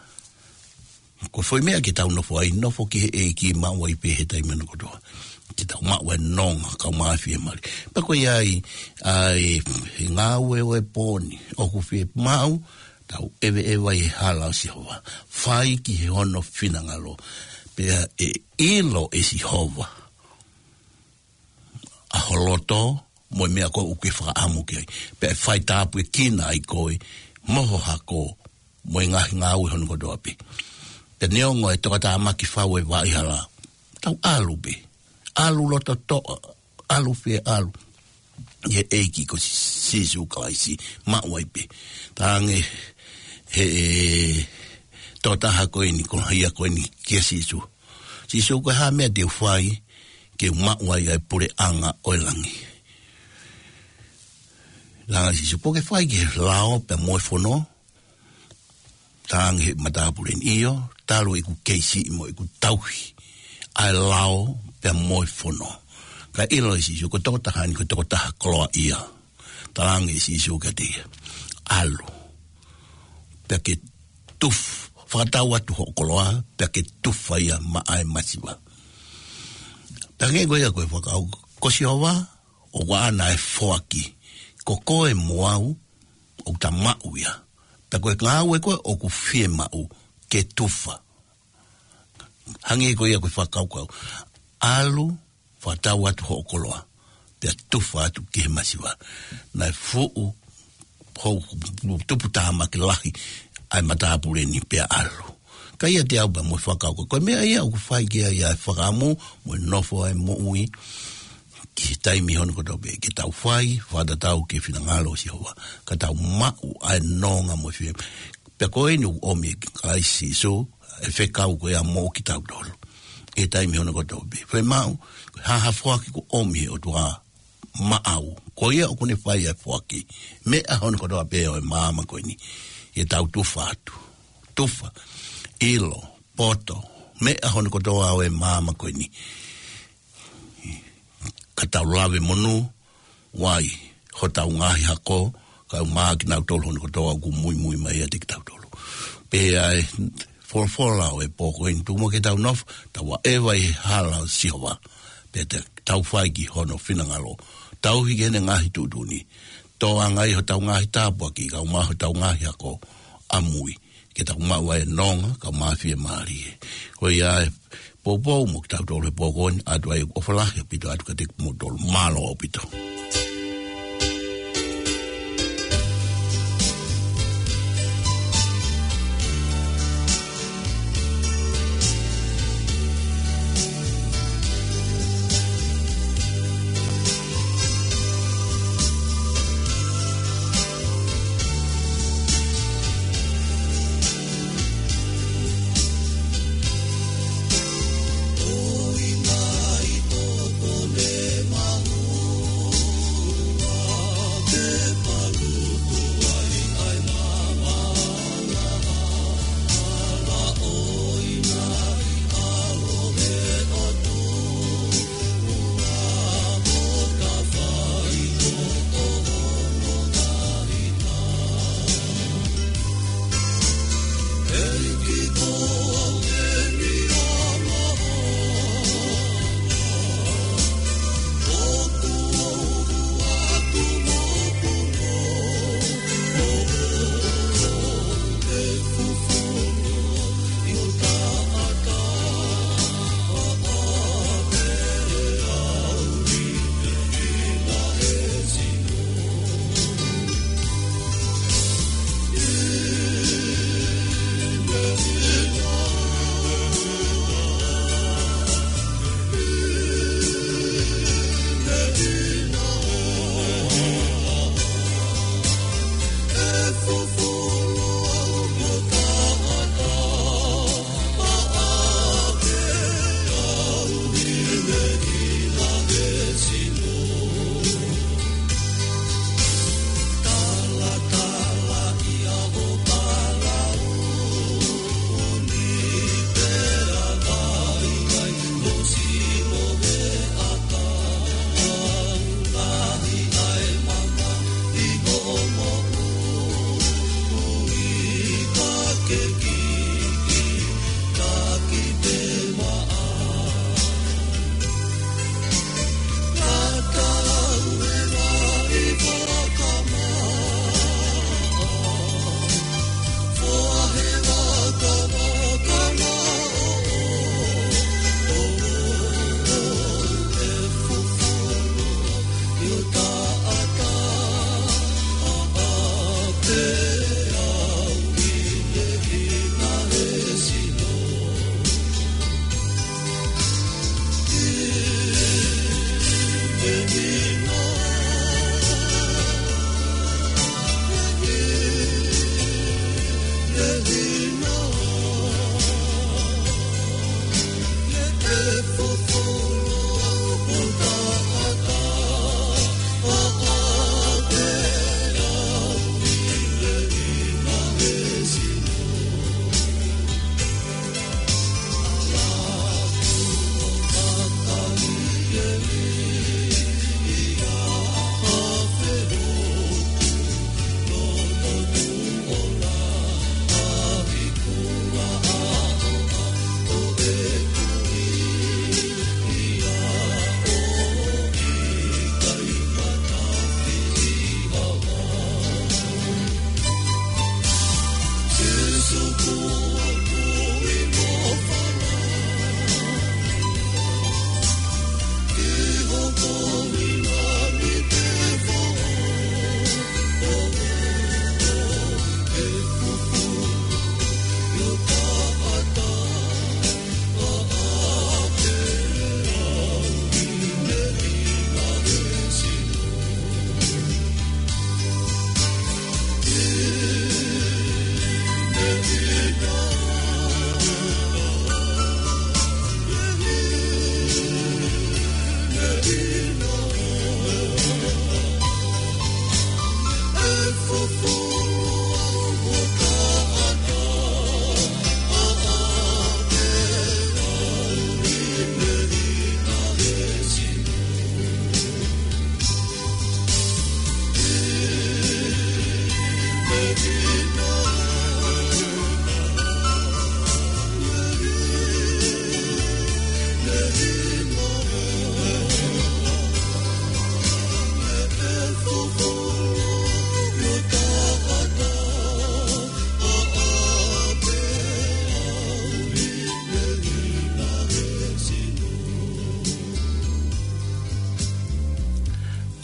Ko e foʻi meʻa ke tau nofo ai, nofo ki he ʻEiki, maʻu ai pē he taimi hono kotoa. Ke tau maʻu e nonga, kau maʻu e fiemālie. Pea ko ia ai, ʻa e, he ngāue ʻo e pō ni, ʻoku fiemaʻu tau ʻeveʻeva ʻi he hala ʻo Sihova. Fai ki he hono finangalo. Pea ʻe ʻilo ʻe Sihova ʻa ho loto, mo e meʻa ko ē ʻoku ke fakaʻamu ki ai. Pea ʻe fai tāpuekina ai koe, mo ho hako, mo e ngaahi ngāue hono kotoa pē. Pea neongo e tokatāmaki fau e vaʻa hala, tau ʻalu pē. ʻAlu loto toʻa, ʻalu fie ʻalu. ʻi he ʻEiki ko Sīsū Kalaisi, maʻu ai pē. Talaange he tokotaha ko eni, koloaʻia ko eni kia Sīsū: "Sīsū, ko e hā e meʻa te u fai ke u maʻu ai ʻa e puleʻanga ʻo e langi?" Talaange Sīsū: "Kuo ke fai ki he lao pea mo e fono?" Talaange he matāpule ni: "ʻIo, talu ʻeku kei siʻi mo ʻeku tauhi ʻa e lao pea mo e fono." Kae ʻilo ʻe Sīsū ko e tokotaha ni ko e tokotaha koloaʻia. Talaange ʻe Sīsū kiate ia: "ʻAlu, pea ke tuf-, fakatau atu hoʻo koloa, pea ke tufa ia maʻa e masiva." Pea hangē ko ia ko e fakakaukau, ko Sihova ʻoku ʻaʻana e foaki. Ko koe mo au ʻoku ta maʻu ia. Pea ko e ngāue ko ē ʻoku fiemaʻu ke tufa. Hangē ko ia ko e fakakaukau: "ʻAlu, fakatau atu hoʻo koloa, pea tufa atu ki he masiva." Naʻe fuʻu hou tuputāmaki lahi ʻa e matāpule ni pea ʻalu. Ka ʻiate au pea mo e fakakaukau, ko e meʻa ia ʻoku fai ki ai ʻa e fakaʻamu mo e nofo ʻa e moʻui ki he taimi hono kotoa pē, ke tau fai fakatatau ki he finangalo ʻo Sihova, ka tau maʻu ʻa e nonga mo e fie. Pea ko eni ʻoku ʻomi ʻe Kalaisi Sīsū e fekau ko ia mo kitautolu ʻi he taimi hono kotoa pē. Fiemaʻu, ko e hā ha foaki kuo ʻomi he ʻOtua maʻau, ko ia ʻoku ne fai ʻa e foaki. Meʻa hono kotoa pē ʻo e māmani ko eni, ke tau tufa atu. Tufa, ʻilo, poto, meʻa hono kotoa ʻo e māmani ko eni, ka tau lave monū, ʻoku ʻi ai hotau ngaahi hako, kae ʻumaʻā kinautolu hono kotoa ʻoku muimui mai ʻiate kitautolu. Pea ʻi he folofola ʻo e pō ko eni, tuku muʻa ke tau nofo, tau ʻaʻeva ʻi he hala ʻo Sihova, pea te tau fai ki hono finangalo, tauhi ki heʻene ngaahi tuʻutuʻuni, tōʻangaʻi hotau ngaahi tāpuaki, kae ʻumaʻā hotau ngaahi hako ʻamui, ke tau maʻu ai e nonga, kae ʻumaʻā e fiemālie. Ko ia e poupou mo kitautolu he pō ko eni, ʻoatu ai ʻofa lahi ʻaupito atu kiate kimoutolu. Mālō ʻaupito.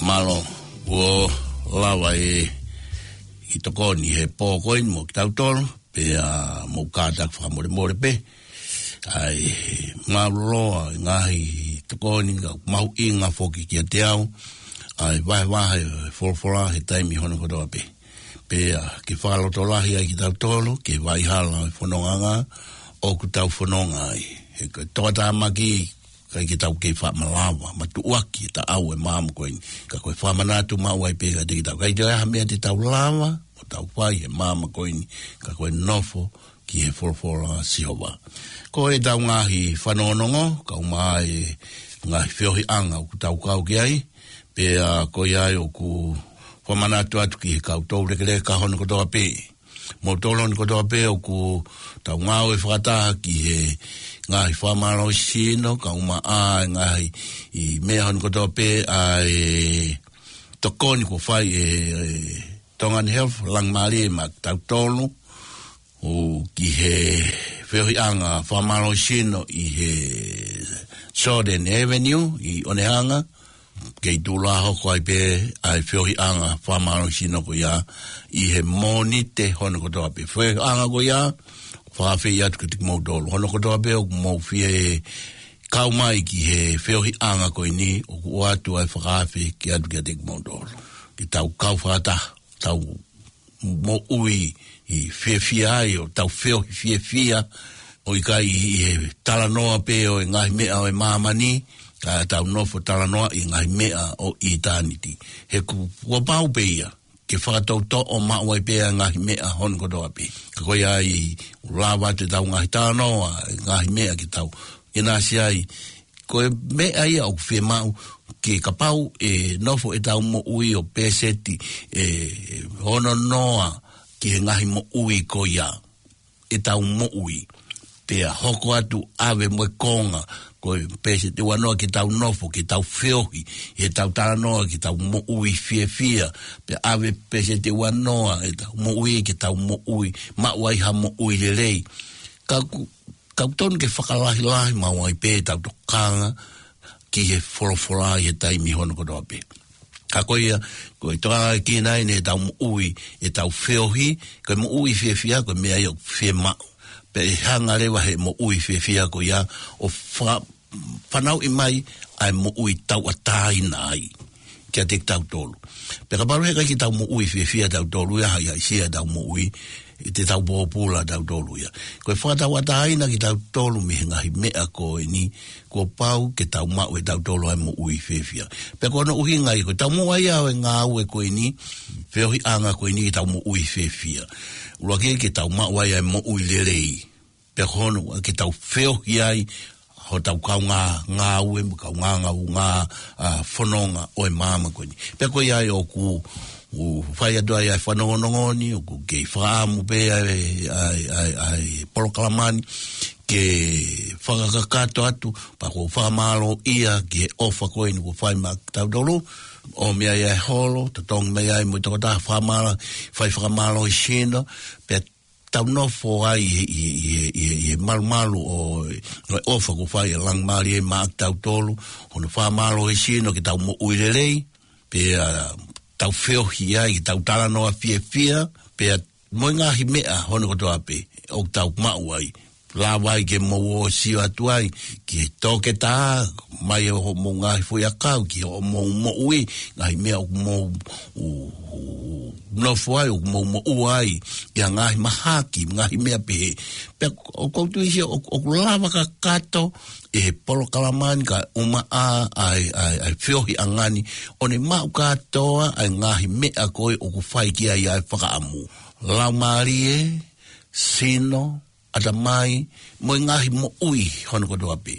Mālō, kuo lava e kiʻi tokoni he pō ko eni mo kitautolu, pea mou kātaki fakamolemole pē. ʻAi, mālō e ngaahi tokoni, ka mahuʻinga foki kiate au ʻa e vahevahe folofola he taimi hono kotoa pē. Pea ke fakalotolahi ai kitautolu, ke vaʻinga hala e fononga ʻoku tau fononga ai. He ko e toʻa tāmaki, ʻikai ke tau kei faʻa malava, matuʻuaki e taʻau e māmani ko eni. Ka ko e fakamanatu maʻu ai pē kiate kitautolu. ʻIkai toe ʻi ai ha meʻa te tau lava ʻo tau fai he māmani ko eni, ka ko e nofo ki he folofola ʻa Sihova. Ko ʻetau ngaahi fanongonongo, kau mai e ngaahi feohiʻanga ʻoku tau kau ki ai, pea ko ia ai ʻoku fakamanatu atu ki he kau toulekeleka hono kotoa pē. Mo toloni kotoa pē ʻoku tau ngāue fakataha ki he ngaahi fakamālohisino, kau mai e ngaahi meʻa hono kotoa pē ʻa e tokoni kuo fai ʻe, ʻe Tongan Health, langimalie maʻa kitautolu, ʻo ki he feohiʻanga fakamālohisino ʻi he Jordan Avenue ʻi ʻOnehunga, kei tuʻu lā hoko ai pē ʻa e feohiʻanga fakamālohisino ko ia ʻi he Mōnite hono kotoa pē. Feohiʻanga ko ia, fakaafeʻi atu kiate kimoutolu. Hono kotoa pē ʻoku mou fie kau mai ki he feohiʻanga ko eni, ʻoku ʻoatu ai e fakaafe ke ʻatu kiate kimoutolu. Ke tau kau fakataha, tau moʻui fiefia ai ʻo tau feohi fiefia, ʻo ʻikai ʻi he talanoa pē ʻo e ngaahi meʻa ʻo e māmani, ka tau nofo talanoa ʻi he ngaahi meʻa ʻo ʻitāniti. He ku-, kuo pau pē ia, ke fakatoutoʻo maʻu ai pē ʻa e ngaahi meʻa hono kotoa pē. Ka ko ia ai, ʻoku lava atu ʻetau ngaahi talanoa, e ngaahi meʻa ke tau ʻinasi ai, ko e meʻa ia ʻoku fiemaʻu ke kapau ʻe nofo ʻetau moʻui ʻo peseti ʻe ono noa ki he ngaahi moʻui ko ia ʻetau moʻui. Pea hoko atu ʻave mo e konga, ko e peseti ua noa ke tau nofo, ke tau feohi, ʻi heʻetau talanoa, ke tau moʻui fiefia. Pea ʻave peseti ua noa ʻetau moʻui, ke tau moʻui, maʻu ai ha moʻui lelei. Ka ʻoku, ka ʻoku totonu ke fakalahilahi maʻu ai pē ʻetau tokanga ki he folofola ʻi he taimi hono kotoa pē. Ka ko ia, ko e tokanga ki ai ʻetau moʻui, ʻetau feohi, ko e moʻui fiefia, ko e meʻa ia ʻoku fiemaʻu. Pea ʻe hanga leva he moʻui fiefia ko ia ʻo fa-, fanauʻi mai ʻa e moʻui tauʻatāina ai kiate kitautolu. Pea kapau he ʻikai ke tau moʻui fiefia tautolu ia, haʻihaʻisia ʻetau moʻui, ʻe te tau pōpula tautolu ia. Ko e fakatauʻatāina kitautolu mei he ngaahi meʻa ko eni, kuo pau ke tau maʻu ʻe tautolu ʻa e moʻui fiefia. Pea ko hono ʻuhinga ia, ko ʻetau maʻu ai ʻa e ngāue ko eni, feohiʻanga ko eni ke tau moʻui fiefia. ʻUluaki ke tau maʻu ai ʻa e moʻui lelei. Pea ko hono ua ke tau feohi ai hotau kaungā ngāue mo e kaungā ngāue, ʻa, fononga ʻo e māmani ko eni. Pea ko ia ai ʻoku, ʻoku fai atu ai ʻa e fanongonongo ni, ʻoku kei fakaʻamu pē ʻa e, ʻa e, ʻa e, ʻa e polokalama ni, ke fakakakato atu, pea ʻoku ou fakamālō ia ki he ʻofa ko eni kuo fai maʻa kitautolu, ʻomi ai ʻa e holo, totongi mai ai mo e tokotaha fakamālō, fai fakamālohisino, pea tau nofo ai ʻi he, ʻi he, ʻi he, ʻi he, ʻi he malumalu ʻo, ʻo e ʻofa kuo fai ʻe Langimālie maʻa kitautolu, hono fakamālohisino ke tau moʻui lelei, pea tau feohi ai, ke tau talanoa fiefia, pea mo e ngaahi meʻa hono kotoa pē ʻoku tau maʻu ai. Lava ai ke mou ō ʻo sio atu ai ki he toketā, mai ʻo hoʻomou ngaahi foʻiʻakau, ki hoʻomou moʻui, ngaahi meʻa ʻoku mou, ʻu, ʻu, nofo ai, ʻoku mou moʻua ai, ʻi ha ngaahi mahaki, ngaahi meʻa pehē. Pea ʻoku ou tui ʻoku, ʻoku lava kakato ʻe he polokalama ni kae ʻumaʻā ʻa e, ʻa e, ʻa e feohiʻanga ni, ʻo ne maʻu kātoa ʻa e ngaahi meʻa ko ē ʻoku fai ki ai ʻa e fakaʻamu. Laumālie, sino, ʻatamai, mo e ngaahi moʻui hono kotoa pē.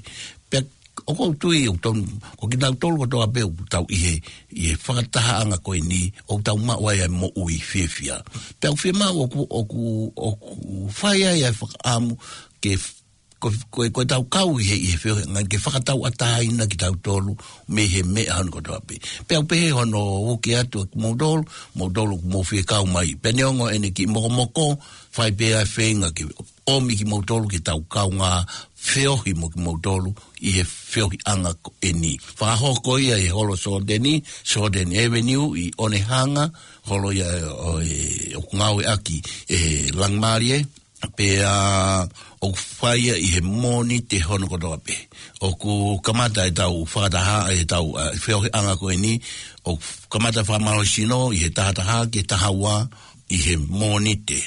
Pea ʻoku ou tui ʻoku tau, ko kitautolu kotoa pē ʻoku tau ʻi he, ʻi he fakatahaʻanga ko eni, ʻoku tau maʻu ai ʻa e moʻui fiefia. Pea ʻoku fiemaʻu ʻoku, ʻoku, ʻoku fai ai ʻa e fakaʻamu ke f-, ko, ko, ko ʻetau kau ʻi he, ʻi he feohiʻanga ke fakatauʻatāina kitautolu mei he meʻa hono kotoa pē. Pea ʻoku pehē hono uki atu ʻa kimoutolu, moutolu ʻoku mou fie kau mai. Pea neongo ʻene kiʻi mokomoko, fai pē ʻa e feinga ke ʻomi kimoutolu ke tau kaungā feohi mo kimoutolu ʻi he feohiʻanga ko eni. Fakahoko ia ʻi he holo Sōteni, Sōteni Avenue ʻi Onehunga, holo ia ʻo e, ʻoku ngāueʻaki ʻe Langimālie, pea ʻoku fai ia ʻi he Mōnite hono kotoa pē. ʻOku kamata ʻetau fakataha, ʻetau, ʻa, feohiʻanga ko eni, ʻoku kamata fakamālohisino ʻi he taha taha ki he taha ua ʻi he Mōnite,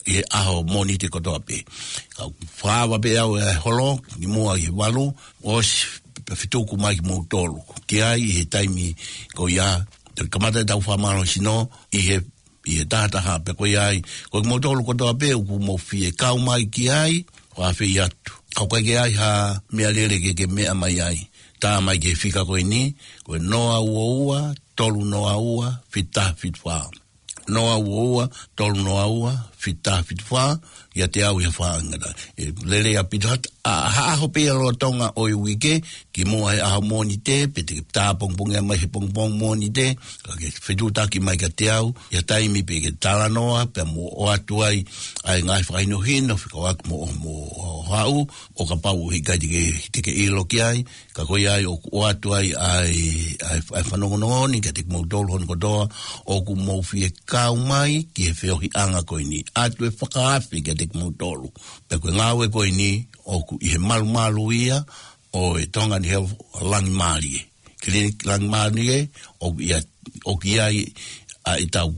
ʻi he ʻaho Mōnite kotoa pē. Kau fakaava pē au e holo, kimuʻa ʻi he valu, ʻosi pea fetuku mai kimoutolu ki ai ʻi he taimi ko ia. Toe kamata ʻetau fakamālohisino ʻi he, ʻi he taha taha pē ko ia ai. Ko kimoutolu kotoa pē ʻoku mou fie kau mai ki ai, ʻoku ou fehuʻi atu. Ka ʻoku ʻikai ke ʻi ai ha meʻalele ke ke meʻa mai ai, tā mai ki he fika ko eni, ko e noa ua ua, tolu noa ua, fitu taha fitu fā. Noa ua ua, tolu noa ua, fitu taha fitu fā, ʻiate au ʻi he fakaʻangata. ʻE lelei ʻaupito, ʻa, ʻa, ha ʻaho pē ʻi he lolotonga ʻo e uike, kimuʻa he ʻaho Mōnite, pe te ke tā pongipongi mai he pongipongi Mōnite, ka ke fetuʻutaki mai kiate au, ʻi ha taimi pē ke talanoa, pea mou ʻoatu ai ʻa e ngaahi fakahinohino, fekauʻaki mo, mo haʻu, ʻo kapau ʻoku ʻikai te ke, te ke ʻilo ki ai, ka ko ia ai ʻoku ʻoatu ai ʻa e, ʻa e, ʻa e fanongonongo ni kiate kimoutolu hono kotoa ʻoku mou fie kau mai ki he feohiʻanga ko eni. ʻOatu e fakaafe kiate kimoutolu. Pea ko e ngāue ko eni ʻoku ʻi he malumalu ia ʻo e Tongan Health Langimālie. Clinic Langimālie ʻoku ʻi ai, ʻoku ʻi ai ʻa ʻetau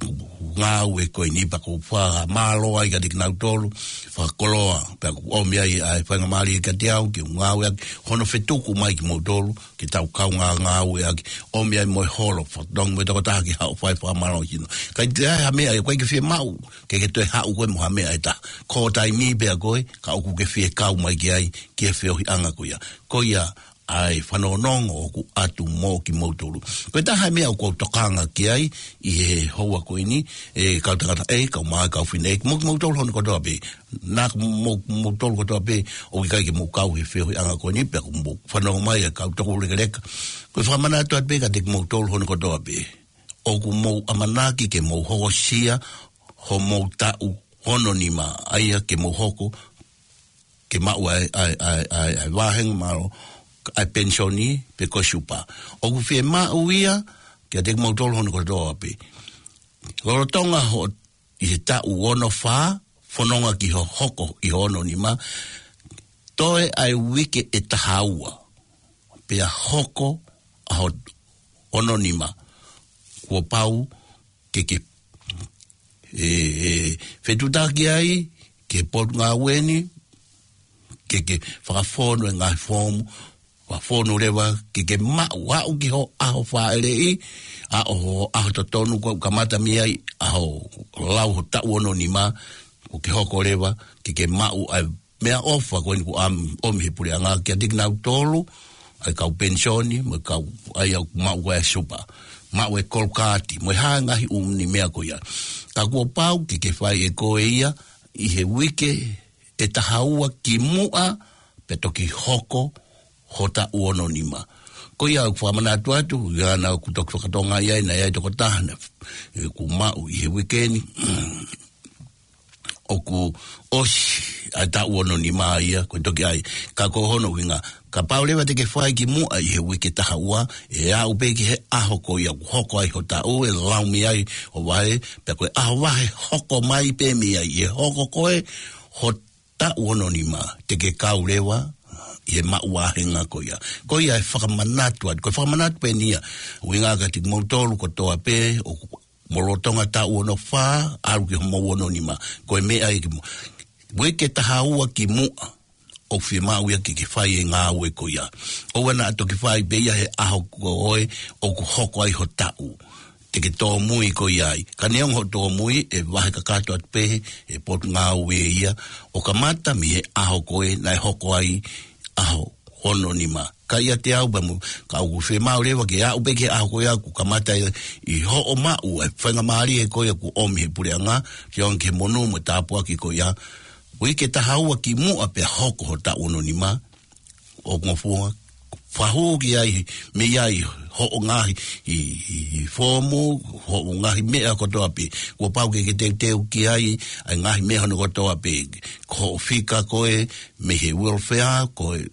ngāue ko eni pea ʻoku ou fakamālō ai kiate kinautolu, fakakoloa, pea ʻoku ʻomi ai ʻa e faingamālie kiate au ke u ngāueʻaki hono fetuku mai kimoutolu, ke tau kaungā ngāueʻaki, ʻomi ai mo e holo, fatongi mo e tokotaha ke haʻu ʻo fai fakamālohisino. Ka ʻi ai ha meʻa ʻoku ʻikai ke fiemaʻu ke ke toe haʻu koe mo ha meʻa ʻe taha. Ko e taimi pē ia ko ē, ka ʻoku ke fie kau mai ki ai, ki he feohiʻanga ko ia. Ko ia, ʻa e fanongonongo ʻoku ʻoatu mo kimoutolu. Ko e taha e meʻa ʻoku ou tokanga ki ai ʻi he houa ko eni, ʻe kau tangata, ʻe kau mā, kau fine, ʻe mo kimoutolu hono kotoa pē. Naʻa mo, moutolu kotoa pē, ʻoku ʻikai ke mou kau he feohiʻanga ko eni, pea ʻoku mou fanongo mai ʻa e kau tokoulekeleka. Ko e fakamanatu atu pē kiate kimoutolu hono kotoa pē. ʻOku mou ʻamanaki ke mou hokosia homou taʻu ono nima, ʻa ia ke mou hoko ke maʻu ʻa e, ʻa e, ʻa e, ʻa e, ʻa e vāhenga mālō, ʻa e penisoni pe ko e supa. ʻOku fiemaʻu ia kiate kimoutolu hono kotoa pē. Lolotonga hoʻo ʻi he taʻu ono fā, fononga ki hoʻo hoko ʻi hoʻo ono nima, toe ʻa e uike ʻe taha ua, pea hoko ʻa hoʻo ono nima, kuo pau ke ke, ʻe, ʻe, fetuʻutaki ai ki he potungāue ni, ke ke fakafonu e ngaahi foomu, fakafonu leva ke ke maʻu, aʻu ki hoʻo ʻaho fāʻeleʻi, ʻa hoʻo ʻaho totonu, kuo kamata mei ai ʻa hoʻo lau hoʻo taʻu ono nima, kuo ke hoko leva ke ke maʻu ʻa e meʻaʻofa ko eni kuo ʻomi he puleʻanga kiate kinautolu, ʻa e kau penisoni, mo e kau, ʻa ia ʻoku maʻu ko ē ʻa e supa, maʻu e kolokaati, mo e hā e ngaahi ʻū meʻa ko ia. Ka kuo pau ke ke fai ʻe koe ia ʻi he uike ʻe taha ua kimuʻa pea toki hoko hoʻo taʻu ono nima. Ko ia ʻoku ou fakamanatu atu, ʻi he ʻaho naʻa ku toki fakatonga ai, naʻe ʻi ai e tokotaha naʻe, ʻe, kuo maʻu ʻi he uike ni, ʻoku ʻosi ʻa e taʻu ono nima ia, ko e toki ʻai. Ka ko hono ʻuhinga, kapau leva te ke fai ki muʻa ʻi he uike taha ua, ʻe aʻu pē ki he ʻaho ko ia ʻoku hoko ai ho taʻu, ʻe lau mei ai ho vahe, pea ko e ʻaho vahe hoko mai pē mei ai, ʻe hoko ko ē ho taʻu ono nima, te ke kau leva ʻi he maʻu vāhenga ko ia. Ko ia e fakamanatu atu, ko e fakamanatu pē eni ia, ʻuhinga kiate kimoutolu kotoa pē ʻoku mo lolotonga taʻu ono fā, ʻalu ki hoʻomou ono nima. Ko e meʻa ia ki muʻa. Uike taha ua ki muʻa, ʻoku fiemaʻu ia ke ke fai e ngāue ko ia. ʻOua naʻa toki fai pē ia he ʻaho ko ē ʻoku hoko ai ho taʻu. Te ke tōmui ko ia ai. Ka neongo hoʻo tōmui, ʻe vahe kakato atu pē he potungāue ia, ʻo kamata mei he ʻaho ko ē naʻe hoko ai ʻaho ono nima. Ka ʻiate au pea mo, ka ʻoku fiemaʻu leva ke aʻu pē ki he ʻaho ko ia kuo kamata ʻi, ʻi hoʻo maʻu e faingamālie ko ia kuo ʻomi he puleʻanga, ke ʻomi ki he monū mo e tāpuaki ko ia. Uike taha ua ki muʻa pea hoko ho taʻu ono nima, ʻo ngofua, fakahū ki ai, mei ai hoʻo ngaahi, ʻi, ʻi, ʻi foomu, hoʻo ngaahi meʻa kotoa pē. Kuo pau ke ke teuteu ki ai, ʻa e ngaahi meʻa hono kotoa pē. Ko hoʻo fika ko ē, mei he welfare, ko e,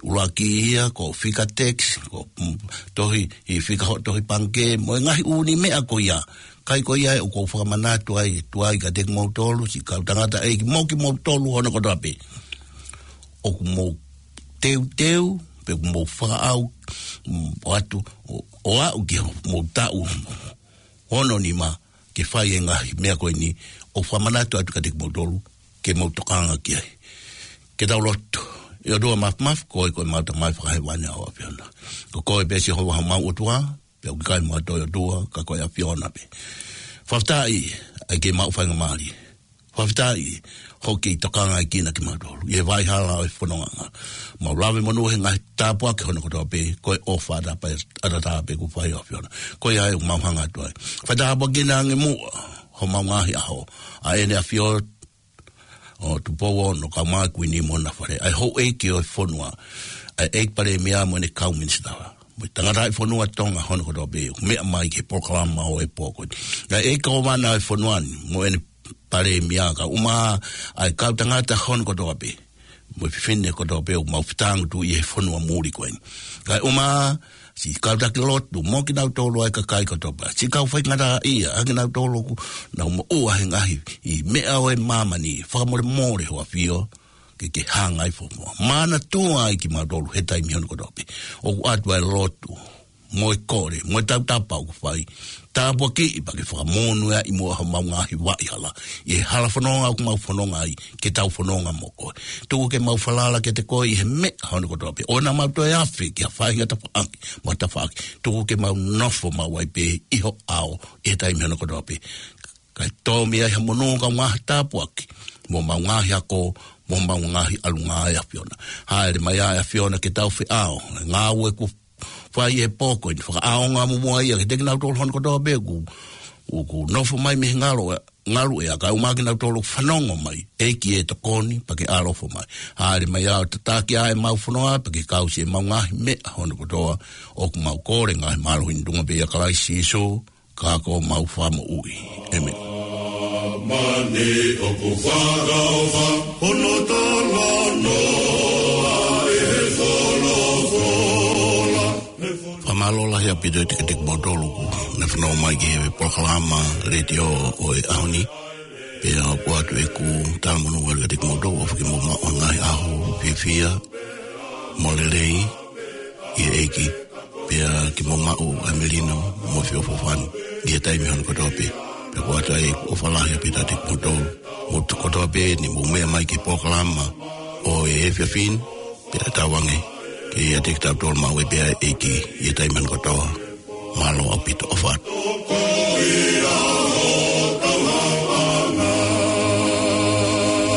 ʻuluaki ia, ko e fika tax, ko, mm, tohi, ʻi fika hoʻo tohi pangikē, mo e ngaahi ʻū meʻa ko ia. Ka ko ia ʻoku ou fakamanatu ai, tuai kiate kimoutolu, siʻi kau tangataʻeiki mo kimoutolu hono kotoa pē. ʻOku mou teuteu, pe ʻoku mou fakaʻau, mm, ʻo atu, ʻo, ʻo aʻu ki hoʻomou taʻu ono nima, ke fai e ngaahi meʻa ko eni, ʻoku fakamanatu atu kiate kimoutolu, ke mou tokanga ki ai. Ke tau lotu. ʻE ʻOtua Māfimafi, ko koe ko ʻemau Tamai Fakahēvani ʻa e ʻAfiona. Ko koe pē Sihova homau ʻOtua, pea ʻoku ʻikai mo ha toe ʻOtua, ka ko e ʻAfiona pē. Fakafetaʻi, ʻa e ke mau faingamālie. Fakafetaʻi, hoʻo kei tokangaʻi kinautolu. ʻI he vaʻa hala ʻo e fononga. Mau lave monū he ngaahi tāpuaki hono kotoa pē, ko e ʻofa ʻataʻatā pē kuo fai ʻe he ʻAfiona. Ko ia ʻoku mau hanga atu ai. Fai tāpuaki ange muʻa, homau ngaahi ʻaho. ʻA ʻEne ʻAfio, ʻo Tupou Ono, kae ʻumaʻā e Kuini mo hona fale. ʻA e houʻeiki ʻo e fonua. ʻA e ʻEiki Palēmia mo ʻene kau minisitā. Mo e tangataʻi fonua Tonga hono kotoa pē. Meʻa mai ki he polokalama ʻo e pō ko eni. ʻA e ʻEiki Kōvana ʻo e fonua ni, mo ʻene Palēmia kae ʻumaʻā ʻa e kau tangata hono kotoa pē. Mo e fefine kotoa pē ʻoku mau fetāngutuʻi he fonua muli ko eni. Kae ʻumaʻā, siʻi kau taki lotu, mo kinautolu ʻa e kakai kotoa pē. Siʻi kau faingataʻaʻia, ʻa kinautolu ʻoku nau moʻua he ngaahi, ʻi meʻa ʻo e māmani, fakamolemole ho ʻAfio, ke ke hanga ʻi he fonua. Manatua ai kimautolu he taimi hono kotoa pē. ʻOku ʻoatu ʻa e lotu, mo e kole, mo e tautapa ʻoku fai. Tāpuakiʻi pea ke fakamonūʻia ʻi muʻa homau ngaahi vaʻa hala. ʻI he hala fononga ʻoku mau fononga ai, ke tau fononga mo koe. Tuku ke mau falala kiate koe ʻi he meʻa hono kotoa pē. ʻOua naʻa mau toe afe ki ha faʻahinga tafaʻaki, mo ha tafaʻaki. Tuku ke mau nofo maʻu ai pē ʻi ho ʻao, ʻi he taimi hono kotoa pē. Kae tō mei ai ha monū kae ʻumaʻā ha tāpuaki. Mo homau ngaahi ako, mo homau ngaahi ʻalunga ʻe ʻAfiona. Hāʻele mai ʻa e ʻAfiona ke tau feʻao. Ngāue kuo fai he pō ko eni fakaʻaonga muʻa ia, kiate kinautolu hono kotoa pē ʻoku, ʻoku nofo mai mei he ngalu, ngaluʻea kae ʻumaʻā kinautolu fanongo mai, ʻEiki ʻe tokoni, pea ke ʻaloʻofa mai. Hāʻele mai ʻo tataki ʻa e mau fononga, pea ke kau siʻemau ngaahi meʻa hono kotoa, ʻoku mau kole ngaahi mālohi ni tuʻunga pē ʻia Kalaisi Sīsū, ka ko homau Fakamoʻui. ʻĒmeni. Mani ʻoku fakaʻofa, hono talanoa ʻe he folofola. Fakamālō lahi ʻaupito kiate kimoutolu kuo ne fanongo mai ki he polokalama letiō ʻo e ʻaho ni. Pea ʻoku ʻoatu ʻeku talamonū atu kiate kimoutolu, ʻofa ke mou maʻu ha ngaahi ʻaho fiefia mo lelei ʻi he ʻEiki. Pea ke mou maʻu ʻa e melino mo e feʻofoʻofani ʻi he taimi hono kotoa pē. Pea ʻoku ʻoatu ai ʻeku ʻofa lahi ʻaupito kiate kimoutolu. Mou kotoa pē ne mou meʻa mai ki he polokalama ʻo e efiafi ni, pea tauange ke ʻiate kitautolu maʻu ai pē ʻa e ʻEiki ʻi he taimi hono kotoa. Mālō ʻaupito, ʻofa atu.